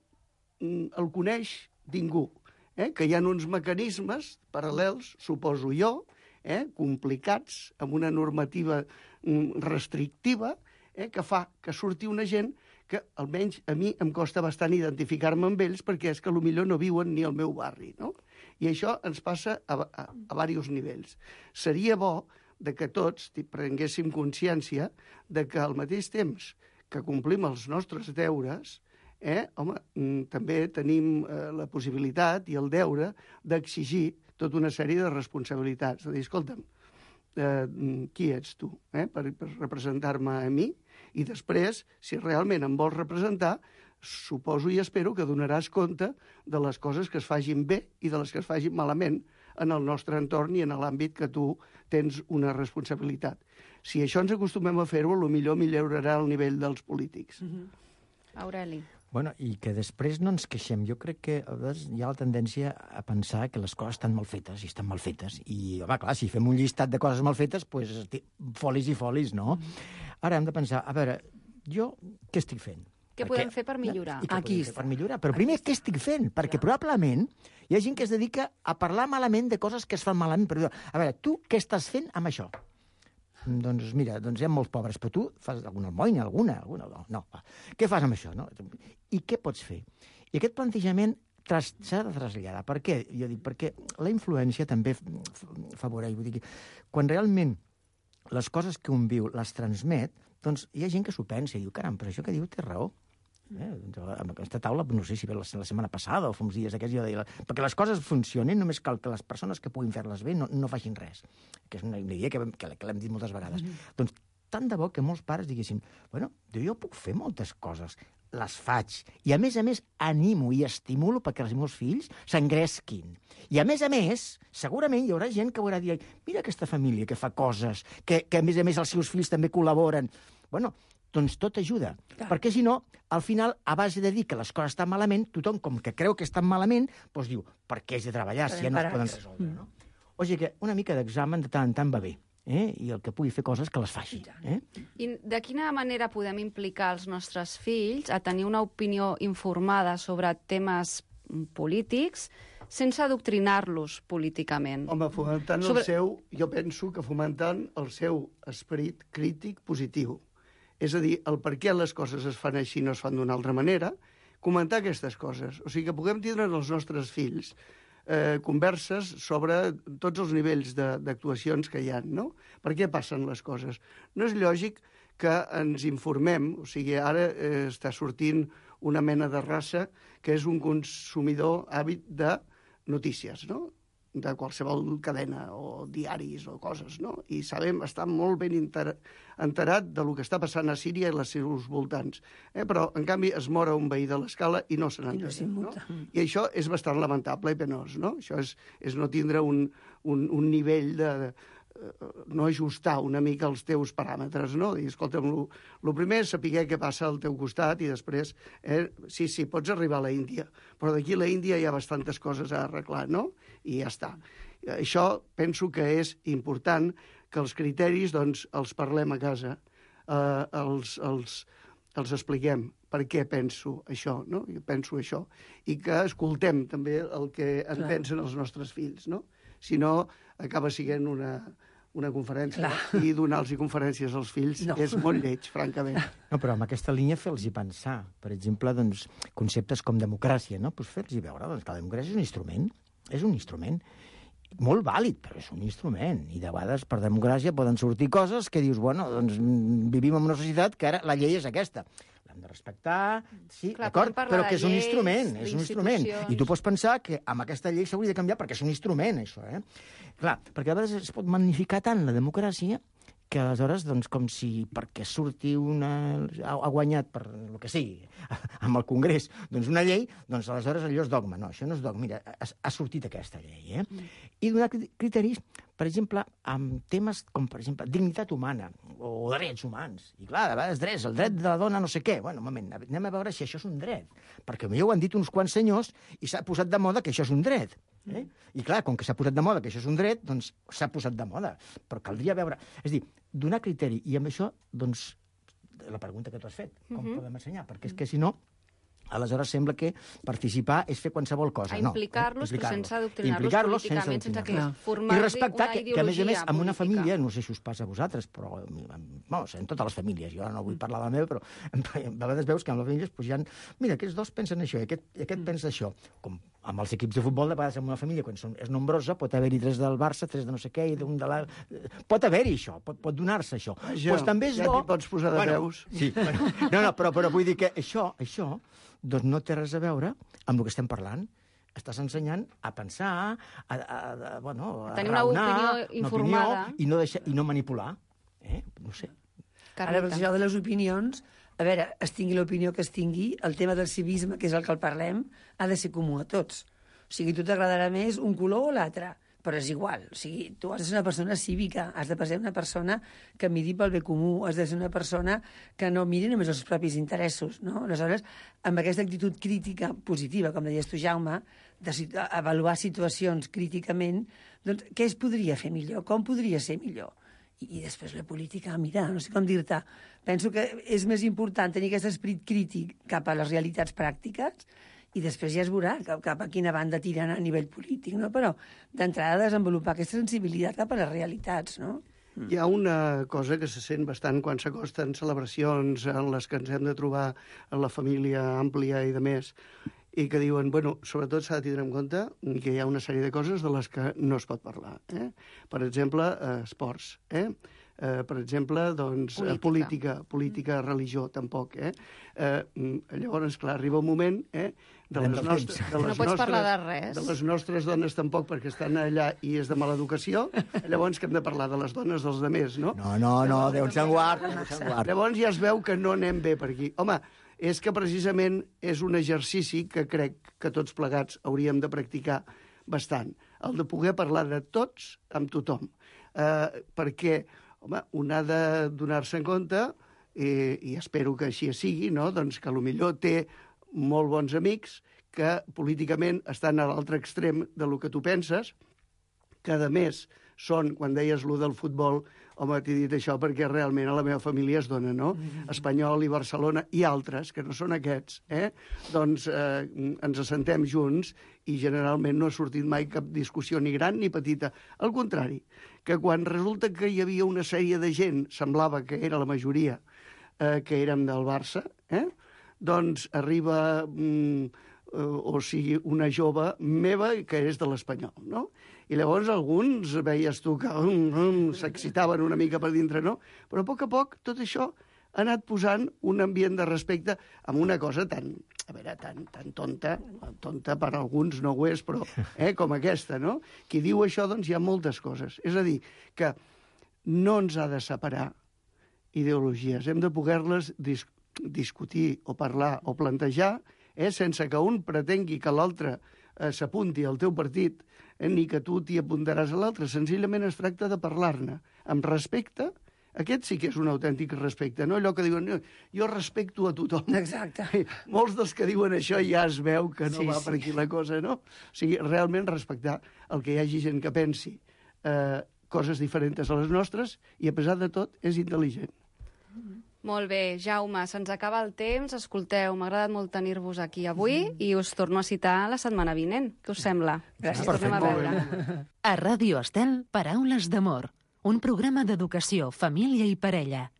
el coneix ningú, que hi ha uns mecanismes paral·lels, suposo jo, complicats, amb una normativa restrictiva, que fa que surti una gent que almenys a mi em costa bastant identificar-me amb ells perquè és que potser no viuen ni al meu barri, no? I això ens passa a diversos nivells. Seria bo de que tots prenguéssim consciència de que al mateix temps que complim els nostres deures, home, també tenim la possibilitat i el deure d'exigir tota una sèrie de responsabilitats. De dir, escolta'm, qui ets tu per representar-me a mi? I després, si realment em vols representar, suposo i espero que donaràs compte de les coses que es fagin bé i de les que es fagin malament en el nostre entorn i en l'àmbit que tu tens una responsabilitat. Si això ens acostumem a fer-ho, potser millorarà el nivell dels polítics. Aureli. Bueno, i que després no ens queixem. Jo crec que a vegades hi ha la tendència a pensar que les coses estan mal fetes, i estan mal fetes. I, home, clar, si fem un llistat de coses mal fetes, doncs folis i folis, no? Ara hem de pensar, a veure, jo què estic fent? Què podem fer per millorar? I què podem fer per millorar? Però primer, què estic fent? Perquè probablement hi ha gent que es dedica a parlar malament de coses que es fan malament. Però, a veure, tu què estàs fent amb això? Doncs mira, hi ha molts pobres, però tu fas alguna almoina, alguna no. Què fas amb això? No? I què pots fer? I aquest plantejament s'ha de traslladar. Per què? Jo dic, perquè la influència també favoreix. Vull dir, quan realment les coses que un viu les transmet, doncs hi ha gent que s'ho pensa i diu, caram, però això que diu té raó. Amb aquesta taula, no sé si ve la setmana passada o fa uns dies aquests, jo deia, perquè les coses funcionin només cal que les persones que puguin fer-les bé no facin res, que és una idea que l'hem dit moltes vegades. Doncs tant de bo que molts pares diguessin, bueno, jo puc fer moltes coses, les faig, i a més animo i estimulo perquè els meus fills s'engresquin. I a més, segurament hi haurà gent que haurà dit, mira aquesta família que fa coses, que a més els seus fills també col·laboren. Bueno, doncs tot ajuda. Perquè si no, al final, a base de dir que les coses estan malament, tothom, com que creu que estan malament, doncs diu, per què has de treballar si ja no es poden resoldre, no? O sigui que una mica d'examen de tant en tant va bé, i el que pugui fer coses que les faci. I de quina manera podem implicar els nostres fills a tenir una opinió informada sobre temes polítics sense adoctrinar-los políticament? Home, fomentant jo penso que fomentant el seu esperit crític positiu. És a dir, el per què les coses es fan així i no es fan d'una altra manera, comentar aquestes coses. O sigui, que puguem tindre els nostres fills converses sobre tots els nivells d'actuacions que hi ha, no? Per què passen les coses? No és lògic que ens informem, o sigui, ara està sortint una mena de raça que és un consumidor hàbit de notícies, no? De qualsevol cadena o diaris o coses, no? I sabem, està molt ben enterat del que està passant a Síria i als seus voltants. Però, en canvi, es mora un veí de l'escala i no se n'entén. No? I això és bastant lamentable i penós, no? Això és no tindre un nivell no ajustar una mica els teus paràmetres, no? Dir, escolta'm, el primer és saber què passa al teu costat i després, sí, pots arribar a la Índia, però d'aquí a la Índia hi ha bastantes coses a arreglar, no? I ja està. Això penso que és important, que els criteris, doncs, els parlem a casa, els expliquem per què penso això, no? Jo penso això. I que escoltem també el que en pensen els nostres fills, no? Si no, acaba sent una conferència i donar-los conferències als fills és molt lleig, francament. No, però amb aquesta línia fer-los pensar. Per exemple, doncs, conceptes com democràcia, no? Pues fer-los veure doncs, que la democràcia és un instrument molt vàlid, però és un instrument. I de vegades per democràcia poden sortir coses que dius, bueno, doncs vivim en una societat que ara la llei és aquesta. L'hem de respectar, sí, d'acord, però que és un instrument, és un instrument. I tu pots pensar que amb aquesta llei s'hauria de canviar perquè és un instrument, això, Clar, perquè a vegades es pot magnificar tant la democràcia que aleshores, doncs, com si perquè surti ha guanyat per el que sigui, amb el Congrés, doncs una llei, doncs aleshores allò és dogma. No, això no és dogma. Mira, ha sortit aquesta llei, I donar criteris, per exemple, amb temes com, per exemple, dignitat humana o drets humans. I clar, de vegades drets, el dret de la dona no sé què. Bueno, un moment, anem a veure si això és un dret. Perquè millor ho han dit uns quants senyors i s'ha posat de moda que això és un dret. I clar, com que s'ha posat de moda que això és un dret, doncs s'ha posat de moda. Però caldria veure... És a dir, donar criteri. I amb això, doncs, la pregunta que tu has fet, com podem ensenyar? Perquè és que, si no, aleshores sembla que participar és fer qualsevol cosa. Implicar-los, però sense adoctrinar-los políticament, sense que formar-los una ideologia que, a més, política. en una família, no sé si us passa a vosaltres, però en totes les famílies, jo no vull parlar de la meva, però a vegades veus que en les famílies hi ha... Mira, aquests dos pensen això i aquest pensa això. Com amb els equips de futbol, de vegades en una família, quan és nombrosa, pot haver-hi 3 del Barça, 3 de no sé què, i d'un de la... Pot haver-hi això, pot donar-se això. Pues també és bo... Ja t'hi pots posar de peus. Sí, no, però vull dir que això doncs no té res a veure amb el que estem parlant. Estàs ensenyant a pensar, a tenir una opinió informada. I no manipular. No sé. Ara, per això de les opinions, a veure, es tingui l'opinió que es tingui, el tema del civisme, que és el que el parlem, ha de ser comú a tots. O sigui, a tu t'agradarà més un color o l'altre, però és igual. O sigui, tu has de ser una persona cívica, has de ser una persona que miri pel bé comú, has de ser una persona que no miri només els propis interessos, no? Aleshores, amb aquesta actitud crítica positiva, com deies tu, Jaume, d'avaluar situacions críticament, doncs què es podria fer millor? Com podria ser millor? I després la política, mira, no sé com dir-te, penso que és més important tenir aquest esperit crític cap a les realitats pràctiques i després ja es veurà cap a quina banda tiren a nivell polític, no? Però d'entrada desenvolupar aquesta sensibilitat cap a les realitats, no? Hi ha una cosa que se sent bastant quan s'acosten celebracions en les que ens hem de trobar en la família àmplia i de més, i que diuen, bueno, sobretot s'ha de tindre en compte que hi ha una sèrie de coses de les que no es pot parlar. Per exemple, esports. Per exemple, doncs, política, religió, tampoc. Llavors, clar, arriba un moment no pots parlar de res. De les nostres dones tampoc, perquè estan allà i és de mala educació, llavors que hem de parlar de les dones dels altres, no? No, Déu se'n guard. Llavors ja es veu que no anem bé per aquí. Home, és que precisament és un exercici que crec que tots plegats hauríem de practicar bastant. El de poder parlar de tots amb tothom. Perquè, home, un ha de donar-se en compte, i espero que així sigui, no? Doncs que potser té molt bons amics que políticament estan a l'altre extrem de lo que tu penses, que a més són, quan deies lo del futbol, home, t'he dit això perquè realment a la meva família es dona, no? Espanyol i Barcelona i altres, que no són aquests, doncs ens assentem junts i generalment no ha sortit mai cap discussió ni gran ni petita. Al contrari, que quan resulta que hi havia una sèrie de gent, semblava que era la majoria, que érem del Barça, doncs arriba o sigui, una jove meva que és de l'Espanyol, no? I llavors alguns veies tu que s'excitaven una mica per dintre, no? Però a poc tot això ha anat posant un ambient de respecte amb una cosa tan tonta per alguns no ho és, però com aquesta, no? Qui diu això, doncs hi ha moltes coses. És a dir, que no ens ha de separar ideologies, hem de poder-les discutir o parlar o plantejar sense que un pretengui que l'altre s'apunti al teu partit, ni que tu t'hi apuntaràs a l'altre. Senzillament es tracta de parlar-ne amb respecte. Aquest sí que és un autèntic respecte, no allò que diuen jo respecto a tothom. Exacte. Molts dels que diuen això ja es veu que no va per aquí la cosa, no? O sigui, realment respectar el que hi hagi gent que pensi coses diferents a les nostres i, a pesar de tot, és intel·ligent. Molt bé, Jaume, se'ns acaba el temps. Escolteu, m'ha agradat molt tenir-vos aquí avui i us torno a citar la setmana vinent. Què us sembla? Gràcies. Tornem a veure. A Ràdio Estel, Paraules d'amor. Un programa d'educació, família i parella.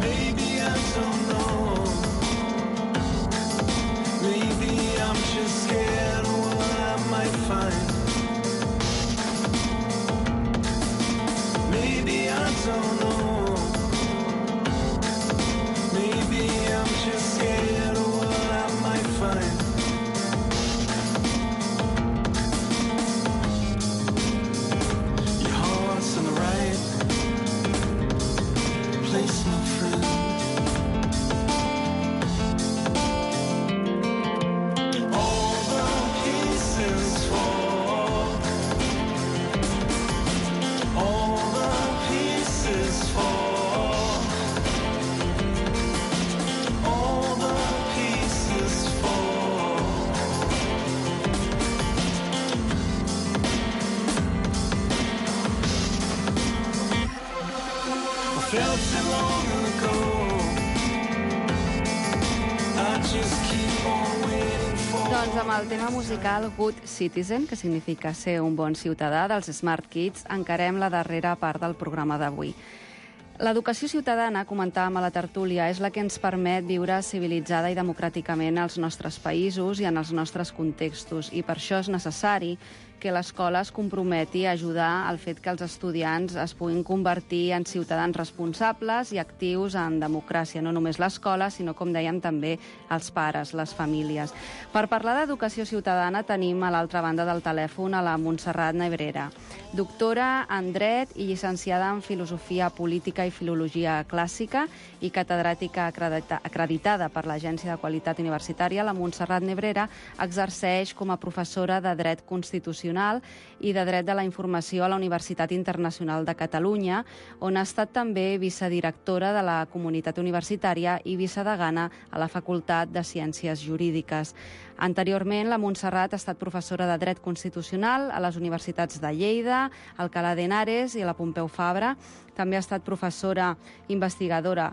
Maybe I don't know. Maybe I'm just scared of what I might find. Maybe I don't know. Maybe I'm just scared of what I might find. Your heart's in the right place, my friend. All the pieces fall. All the pieces fall. All the pieces fall. I felt it long ago. I just keep on waiting for. Doncs amb el tema musical Good Citizen, que significa ser un bon ciutadà, dels Smart Kids, encarem la darrera part del programa d'avui. L'educació ciutadana, comentàvem a la tertúlia, és la que ens permet viure civilitzada i democràticament als nostres països i en els nostres contextos. I per això és necessari que l'escola es comprometi a ajudar al fet que els estudiants es puguin convertir en ciutadans responsables i actius en democràcia. No només l'escola, sinó, com dèiem, també els pares, les famílies. Per parlar d'educació ciutadana tenim a l'altra banda del telèfon a la Montserrat Nebrera, doctora en dret i llicenciada en filosofia política i filologia clàssica i catedràtica acreditada per l'Agència de Qualitat Universitària. La Montserrat Nebrera exerceix com a professora de dret constitucional i de dret de la informació a la Universitat Internacional de Catalunya, on ha estat també vicedirectora de la comunitat universitària i vicedegana a la Facultat de Ciències Jurídiques. Anteriorment, la Montserrat ha estat professora de dret constitucional a les universitats de Lleida, Alcalá de Henares i a la Pompeu Fabra. També ha estat professora investigadora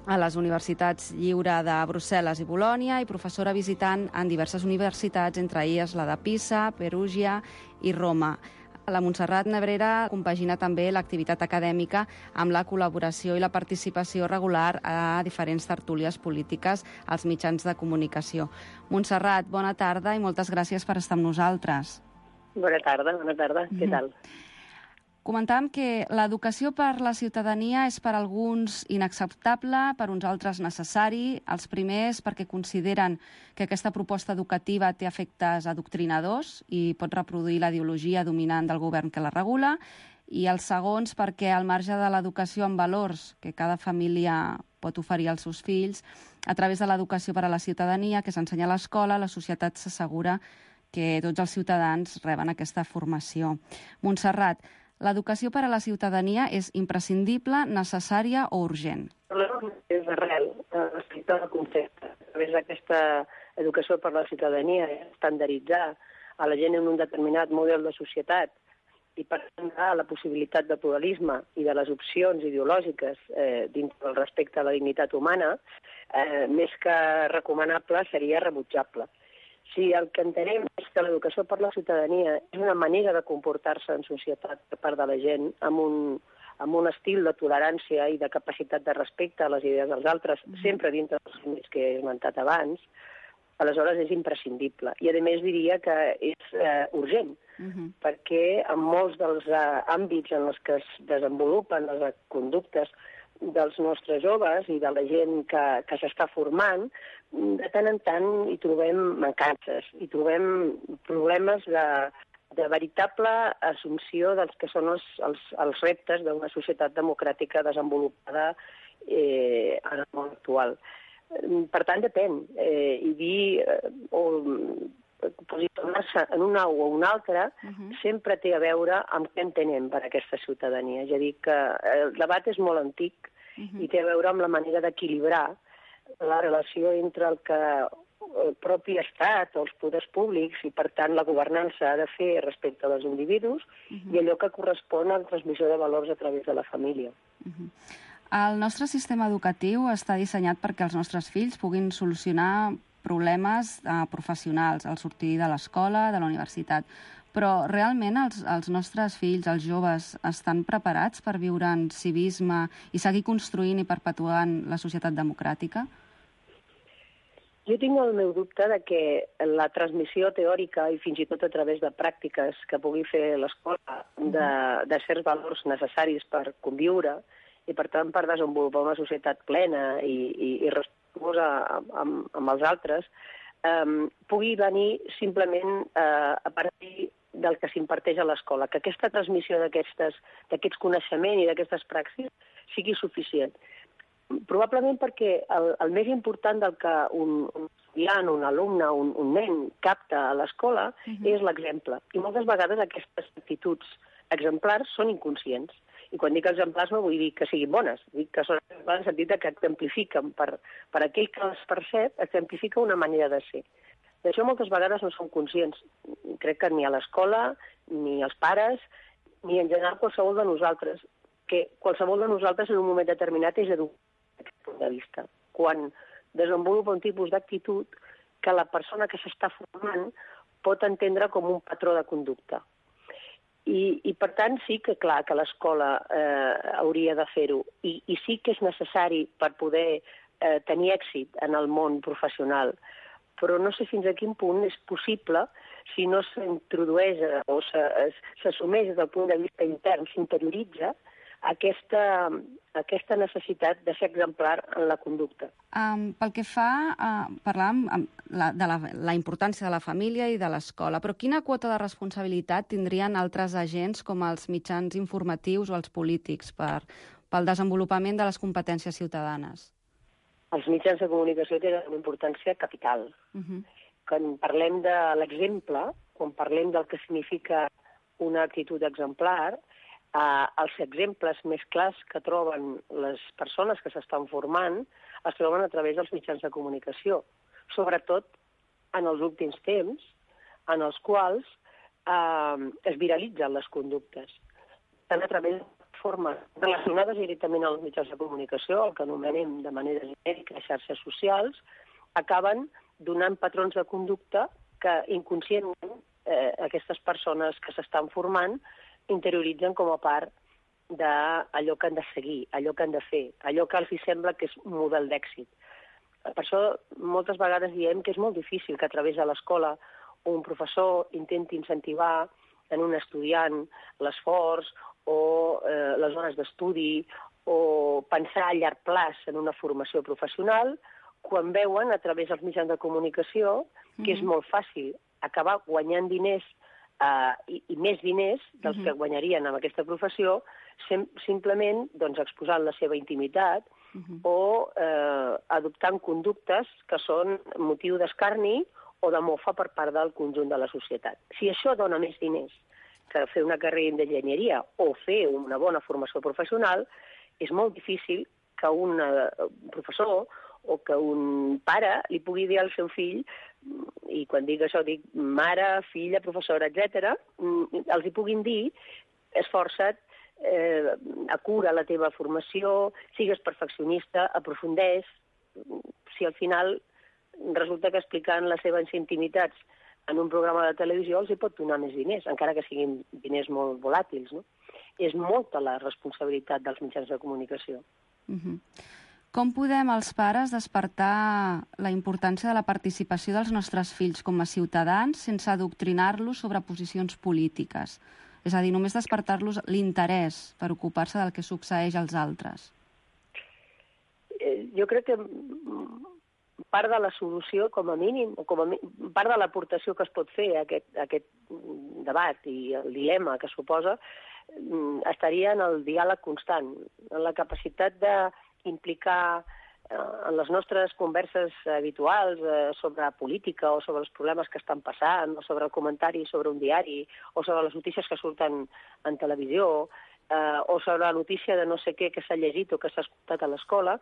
a les Universitats Lliure de Brussel·les i Bolònia i professora visitant en diverses universitats, entre elles la de Pisa, Perugia i Roma. La Montserrat Nebrera compagina també l'activitat acadèmica amb la col·laboració i la participació regular a diferents tertúlies polítiques als mitjans de comunicació. Montserrat, bona tarda i moltes gràcies per estar amb nosaltres. Bona tarda. Què tal? Comentàvem que l'educació per la ciutadania és per alguns inacceptable, per uns altres necessari. Els primers perquè consideren que aquesta proposta educativa té efectes adoctrinadors i pot reproduir la ideologia dominant del govern que la regula. I els segons perquè al marge de l'educació en valors que cada família pot oferir als seus fills, a través de l'educació per a la ciutadania que s'ensenya a l'escola, la societat s'assegura que tots els ciutadans reben aquesta formació. Montserrat, l'educació per a la ciutadania és imprescindible, necessària o urgent? És d'arrel, respecte al concepte. A través d'aquesta educació per a la ciutadania, estandarditzar a la gent en un determinat model de societat i per tant la possibilitat de pluralisme i de les opcions ideològiques dins del respecte a la dignitat humana, més que recomanable, seria rebutjable. Si el que entenem és que l'educació per la ciutadania és una manera de comportar-se en societat per part de la gent amb un estil de tolerància i de capacitat de respecte a les idees dels altres, sempre dintre dels límits que he esmentat abans, aleshores és imprescindible. I, a més, diria que és urgent, perquè en molts dels àmbits en els que es desenvolupen les conductes dels nostres joves i de la gent que s'està formant, de tant en tant hi trobem mancances, hi trobem problemes de veritable assumpció dels que són els reptes d'una societat democràtica desenvolupada en el món actual. Per tant, depèn. I dir o posicionar-se en un au o un altre sempre té a veure amb què entenem per aquesta ciutadania. És a dir, que el debat és molt antic i té a veure amb la manera d'equilibrar la relació entre el que el propi Estat o els poders públics i, per tant, la governança ha de fer respecte als individus i allò que correspon a la transmissió de valors a través de la família. El nostre sistema educatiu està dissenyat perquè els nostres fills puguin solucionar problemes professionals al sortir de l'escola, de la universitat. Però realment els nostres fills, els joves, estan preparats per viure en civisme i seguir construint i perpetuant la societat democràtica? Jo tinc el meu dubte de que la transmissió teòrica i fins i tot a través de pràctiques que pugui fer l'escola de certs valors necessaris per conviure i, per tant, per desenvolupar una societat plena i respetuosa amb els altres, pugui venir simplement a partir del que s'imparteix a l'escola, que aquesta transmissió d'aquests coneixements i d'aquestes praxis sigui suficient. Probablement perquè el més important del que un estudiant, un alumne, un nen capta a l'escola és l'exemple. I moltes vegades aquestes actituds exemplars són inconscients. I quan dic exemplars no vull dir que siguin bones, dic que són exemplars en el sentit que exemplifiquen per aquell que les percep, exemplifica una manera de ser. D'això moltes vegades no som conscients. Crec que ni a l'escola, ni els pares, ni en general qualsevol de nosaltres. Que qualsevol de nosaltres en un moment determinat és educat d'aquest punt de vista. Quan desenvolupa un tipus d'actitud que la persona que s'està formant pot entendre com un patró de conducta. I per tant, sí que clar que l'escola hauria de fer-ho. I sí que és necessari per poder tenir èxit en el món professional. Però no sé fins a quin punt és possible si no s'introdueix o s'assumeix des del punt de vista intern, s'interioritza aquesta necessitat de ser exemplar en la conducta. Pel que fa, parlàvem de la importància de la família i de l'escola, però quina quota de responsabilitat tindrien altres agents com els mitjans informatius o els polítics pel desenvolupament de les competències ciutadanes? Els mitjans de comunicació tenen una importància capital. Quan parlem de l'exemple, quan parlem del que significa una actitud exemplar, els exemples més clars que troben les persones que s'estan formant es troben a través dels mitjans de comunicació, sobretot en els últims temps, en els quals es viralitzen les conductes. Tant a través de formes relacionades directament als mitjans de comunicació, el que anomenem de manera genèrica xarxes socials, acaben donant patrons de conducta que inconscientment aquestes persones que s'estan formant interioritzen com a part d'allò que han de seguir, allò que han de fer, allò que els sembla que és un model d'èxit. Per això moltes vegades diem que és molt difícil que a través de l'escola un professor intenti incentivar en un estudiant l'esforç o les hores d'estudi o pensar a llarg plaç en una formació professional quan veuen a través dels mitjans de comunicació que és molt fàcil acabar guanyant diners i més diners dels que guanyarien amb aquesta professió simplement exposant la seva intimitat o adoptant conductes que són motiu d'escarni o de mofa per part del conjunt de la societat. Si això dona més diners que fer una carrera d'enginyeria o fer una bona formació professional, és molt difícil que un professor o que un pare li pugui dir al seu fill, i quan dic això dic mare, filla, professora, etc., els hi puguin dir esforça't, acura la teva formació, sigues perfeccionista, aprofundeix. Si al final resulta que explicant les seves intimitats en un programa de televisió els hi pot donar més diners, encara que siguin diners molt volàtils, no? És molta la responsabilitat dels mitjans de comunicació. Com podem els pares despertar la importància de la participació dels nostres fills com a ciutadans sense adoctrinar-los sobre posicions polítiques? És a dir, només despertar-los l'interès per ocupar-se del que succeeix als altres. jo crec que part de la solució, com a mínim, o part de l'aportació que es pot fer a aquest debat i el dilema que suposa, estaria en el diàleg constant, en la capacitat d'implicar en les nostres converses habituals sobre política o sobre els problemes que estan passant, o sobre el comentari sobre un diari, o sobre les notícies que surten en televisió, o sobre la notícia de no sé què que s'ha llegit o que s'ha escoltat a l'escola,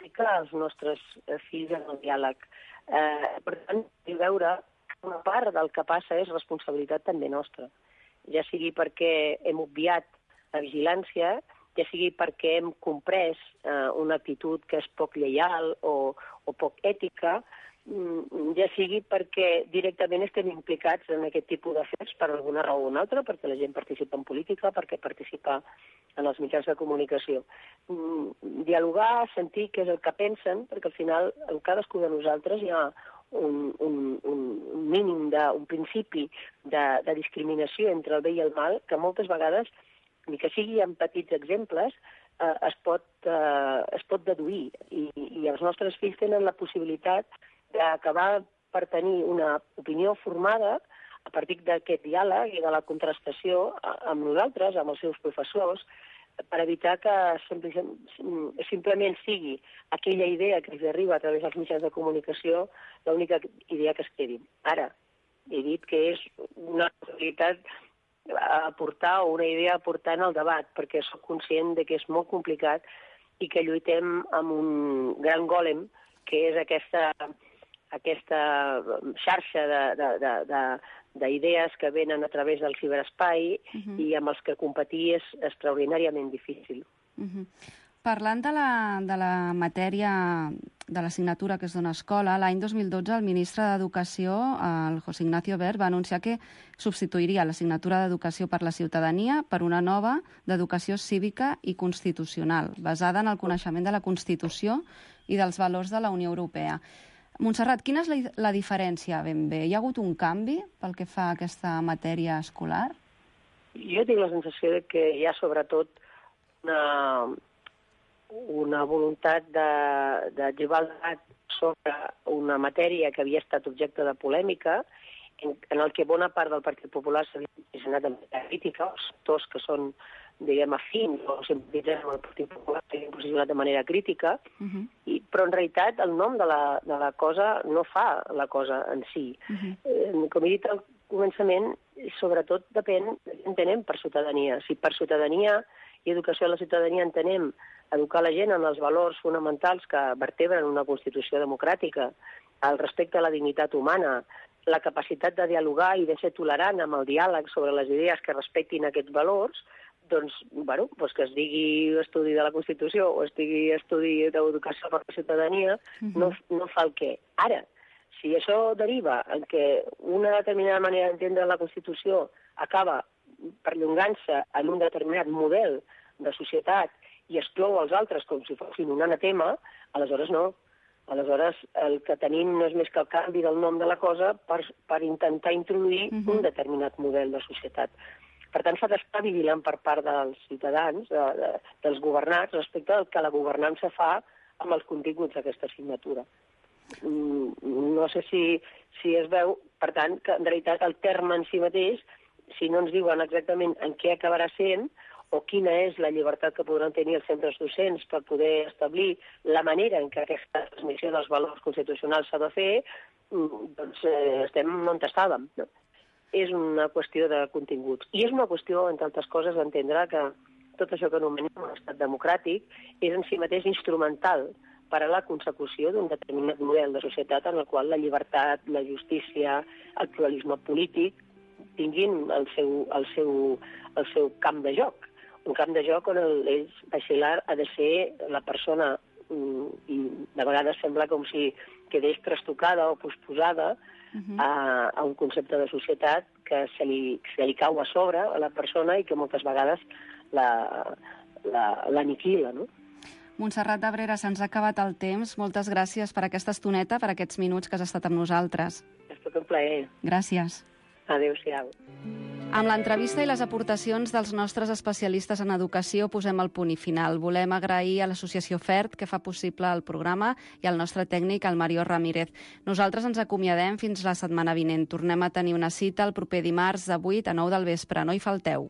implicar els nostres fills en el diàleg. Per tant, veure que una part del que passa és responsabilitat també nostra, ja sigui perquè hem obviat la vigilància, ja sigui perquè hem comprès una actitud que és poc lleial o poc ètica, ja sigui perquè directament estem implicats en aquest tipus d'afers per alguna raó o una altra, perquè la gent participa en política, perquè participa en els mitjans de comunicació. Dialogar, sentir què és el que pensen, perquè al final en cadascú de nosaltres hi ha un mínim, un principi de discriminació entre el bé i el mal, que moltes vegades, ni que sigui en petits exemples, es pot deduir. I els nostres fills tenen la possibilitat d'acabar per tenir una opinió formada a partir d'aquest diàleg i de la contrastació amb nosaltres, amb els seus professors, per evitar que simplement sigui aquella idea que els arriba a través dels mitjans de comunicació l'única idea que es quedi. Ara, he dit que és una possibilitat a aportar o una idea a aportar en el debat, perquè soc conscient de que és molt complicat i que lluitem amb un gran gòlem, que és aquesta xarxa d'idees que venen a través del ciberespai i amb els que competir és extraordinàriament difícil. Parlant de la matèria de l'assignatura que es dona a escola, l'any 2012 el ministre d'Educació, el José Ignacio Wert, va anunciar que substituiria l'assignatura d'Educació per la Ciutadania per una nova d'Educació Cívica i Constitucional, basada en el coneixement de la Constitució i dels valors de la Unió Europea. Montserrat, quina és la diferència ben bé? Hi ha hagut un canvi pel que fa a aquesta matèria escolar? Jo tinc la sensació de que hi ha sobretot una voluntat de llevar el debat sobre una matèria que havia estat objecte de polèmica, en el que bona part del Partit Popular s'havia posicionat de manera crítica, els sectors que són, diguem, afins o simpatitzants amb el Partit Popular s'havien posicionat de manera crítica, però en realitat el nom de la cosa no fa la cosa en si. Com he dit al començament, sobretot depèn de què entenem per ciutadania. Si per ciutadania i educació a la ciutadania entenem educar la gent en els valors fonamentals que vertebren una Constitució democràtica, el respecte a la dignitat humana, la capacitat de dialogar i de ser tolerant amb el diàleg sobre les idees que respectin aquests valors, doncs que es digui estudi de la Constitució o es digui estudi d'educació per la ciutadania, no fa el què. Ara, si això deriva en que una determinada manera d'entendre la Constitució acaba perllongant-se en un determinat model de societat i exclou els altres com si fossin un anatema, aleshores no. Aleshores el que tenim no és més que el canvi del nom de la cosa per intentar introduir un determinat model de societat. Per tant, s'ha d'estar vigilant per part dels ciutadans, dels governats, respecte al que la governança fa amb els continguts d'aquesta assignatura. No sé si es veu, per tant, que en realitat el terme en si mateix, si no ens diuen exactament en què acabarà sent o quina és la llibertat que podran tenir els centres docents per poder establir la manera en què aquesta transmissió dels valors constitucionals s'ha de fer, doncs estem on estàvem. És una qüestió de continguts. I és una qüestió, entre altres coses, d'entendre que tot això que anomenem un estat democràtic és en si mateix instrumental per a la consecució d'un determinat model de societat en el qual la llibertat, la justícia, el pluralisme polític tinguin el seu camp de joc. Un camp de joc on l'eix basilar ha de ser la persona, i de vegades sembla com si quedés trastocada o posposada a un concepte de societat que se li cau a sobre a la persona i que moltes vegades l'aniquila, no? Montserrat Abrera, se'ns ha acabat el temps. Moltes gràcies per aquesta estoneta, per aquests minuts que has estat amb nosaltres. És tot un plaer. Gràcies. Adéu-siau. Amb l'entrevista i les aportacions dels nostres especialistes en educació posem el punt i final. Volem agrair a l'associació FERT, que fa possible el programa, i al nostre tècnic, el Mario Ramírez. Nosaltres ens acomiadem fins la setmana vinent. Tornem a tenir una cita el proper dimarts de 8 a 9 del vespre. No hi falteu.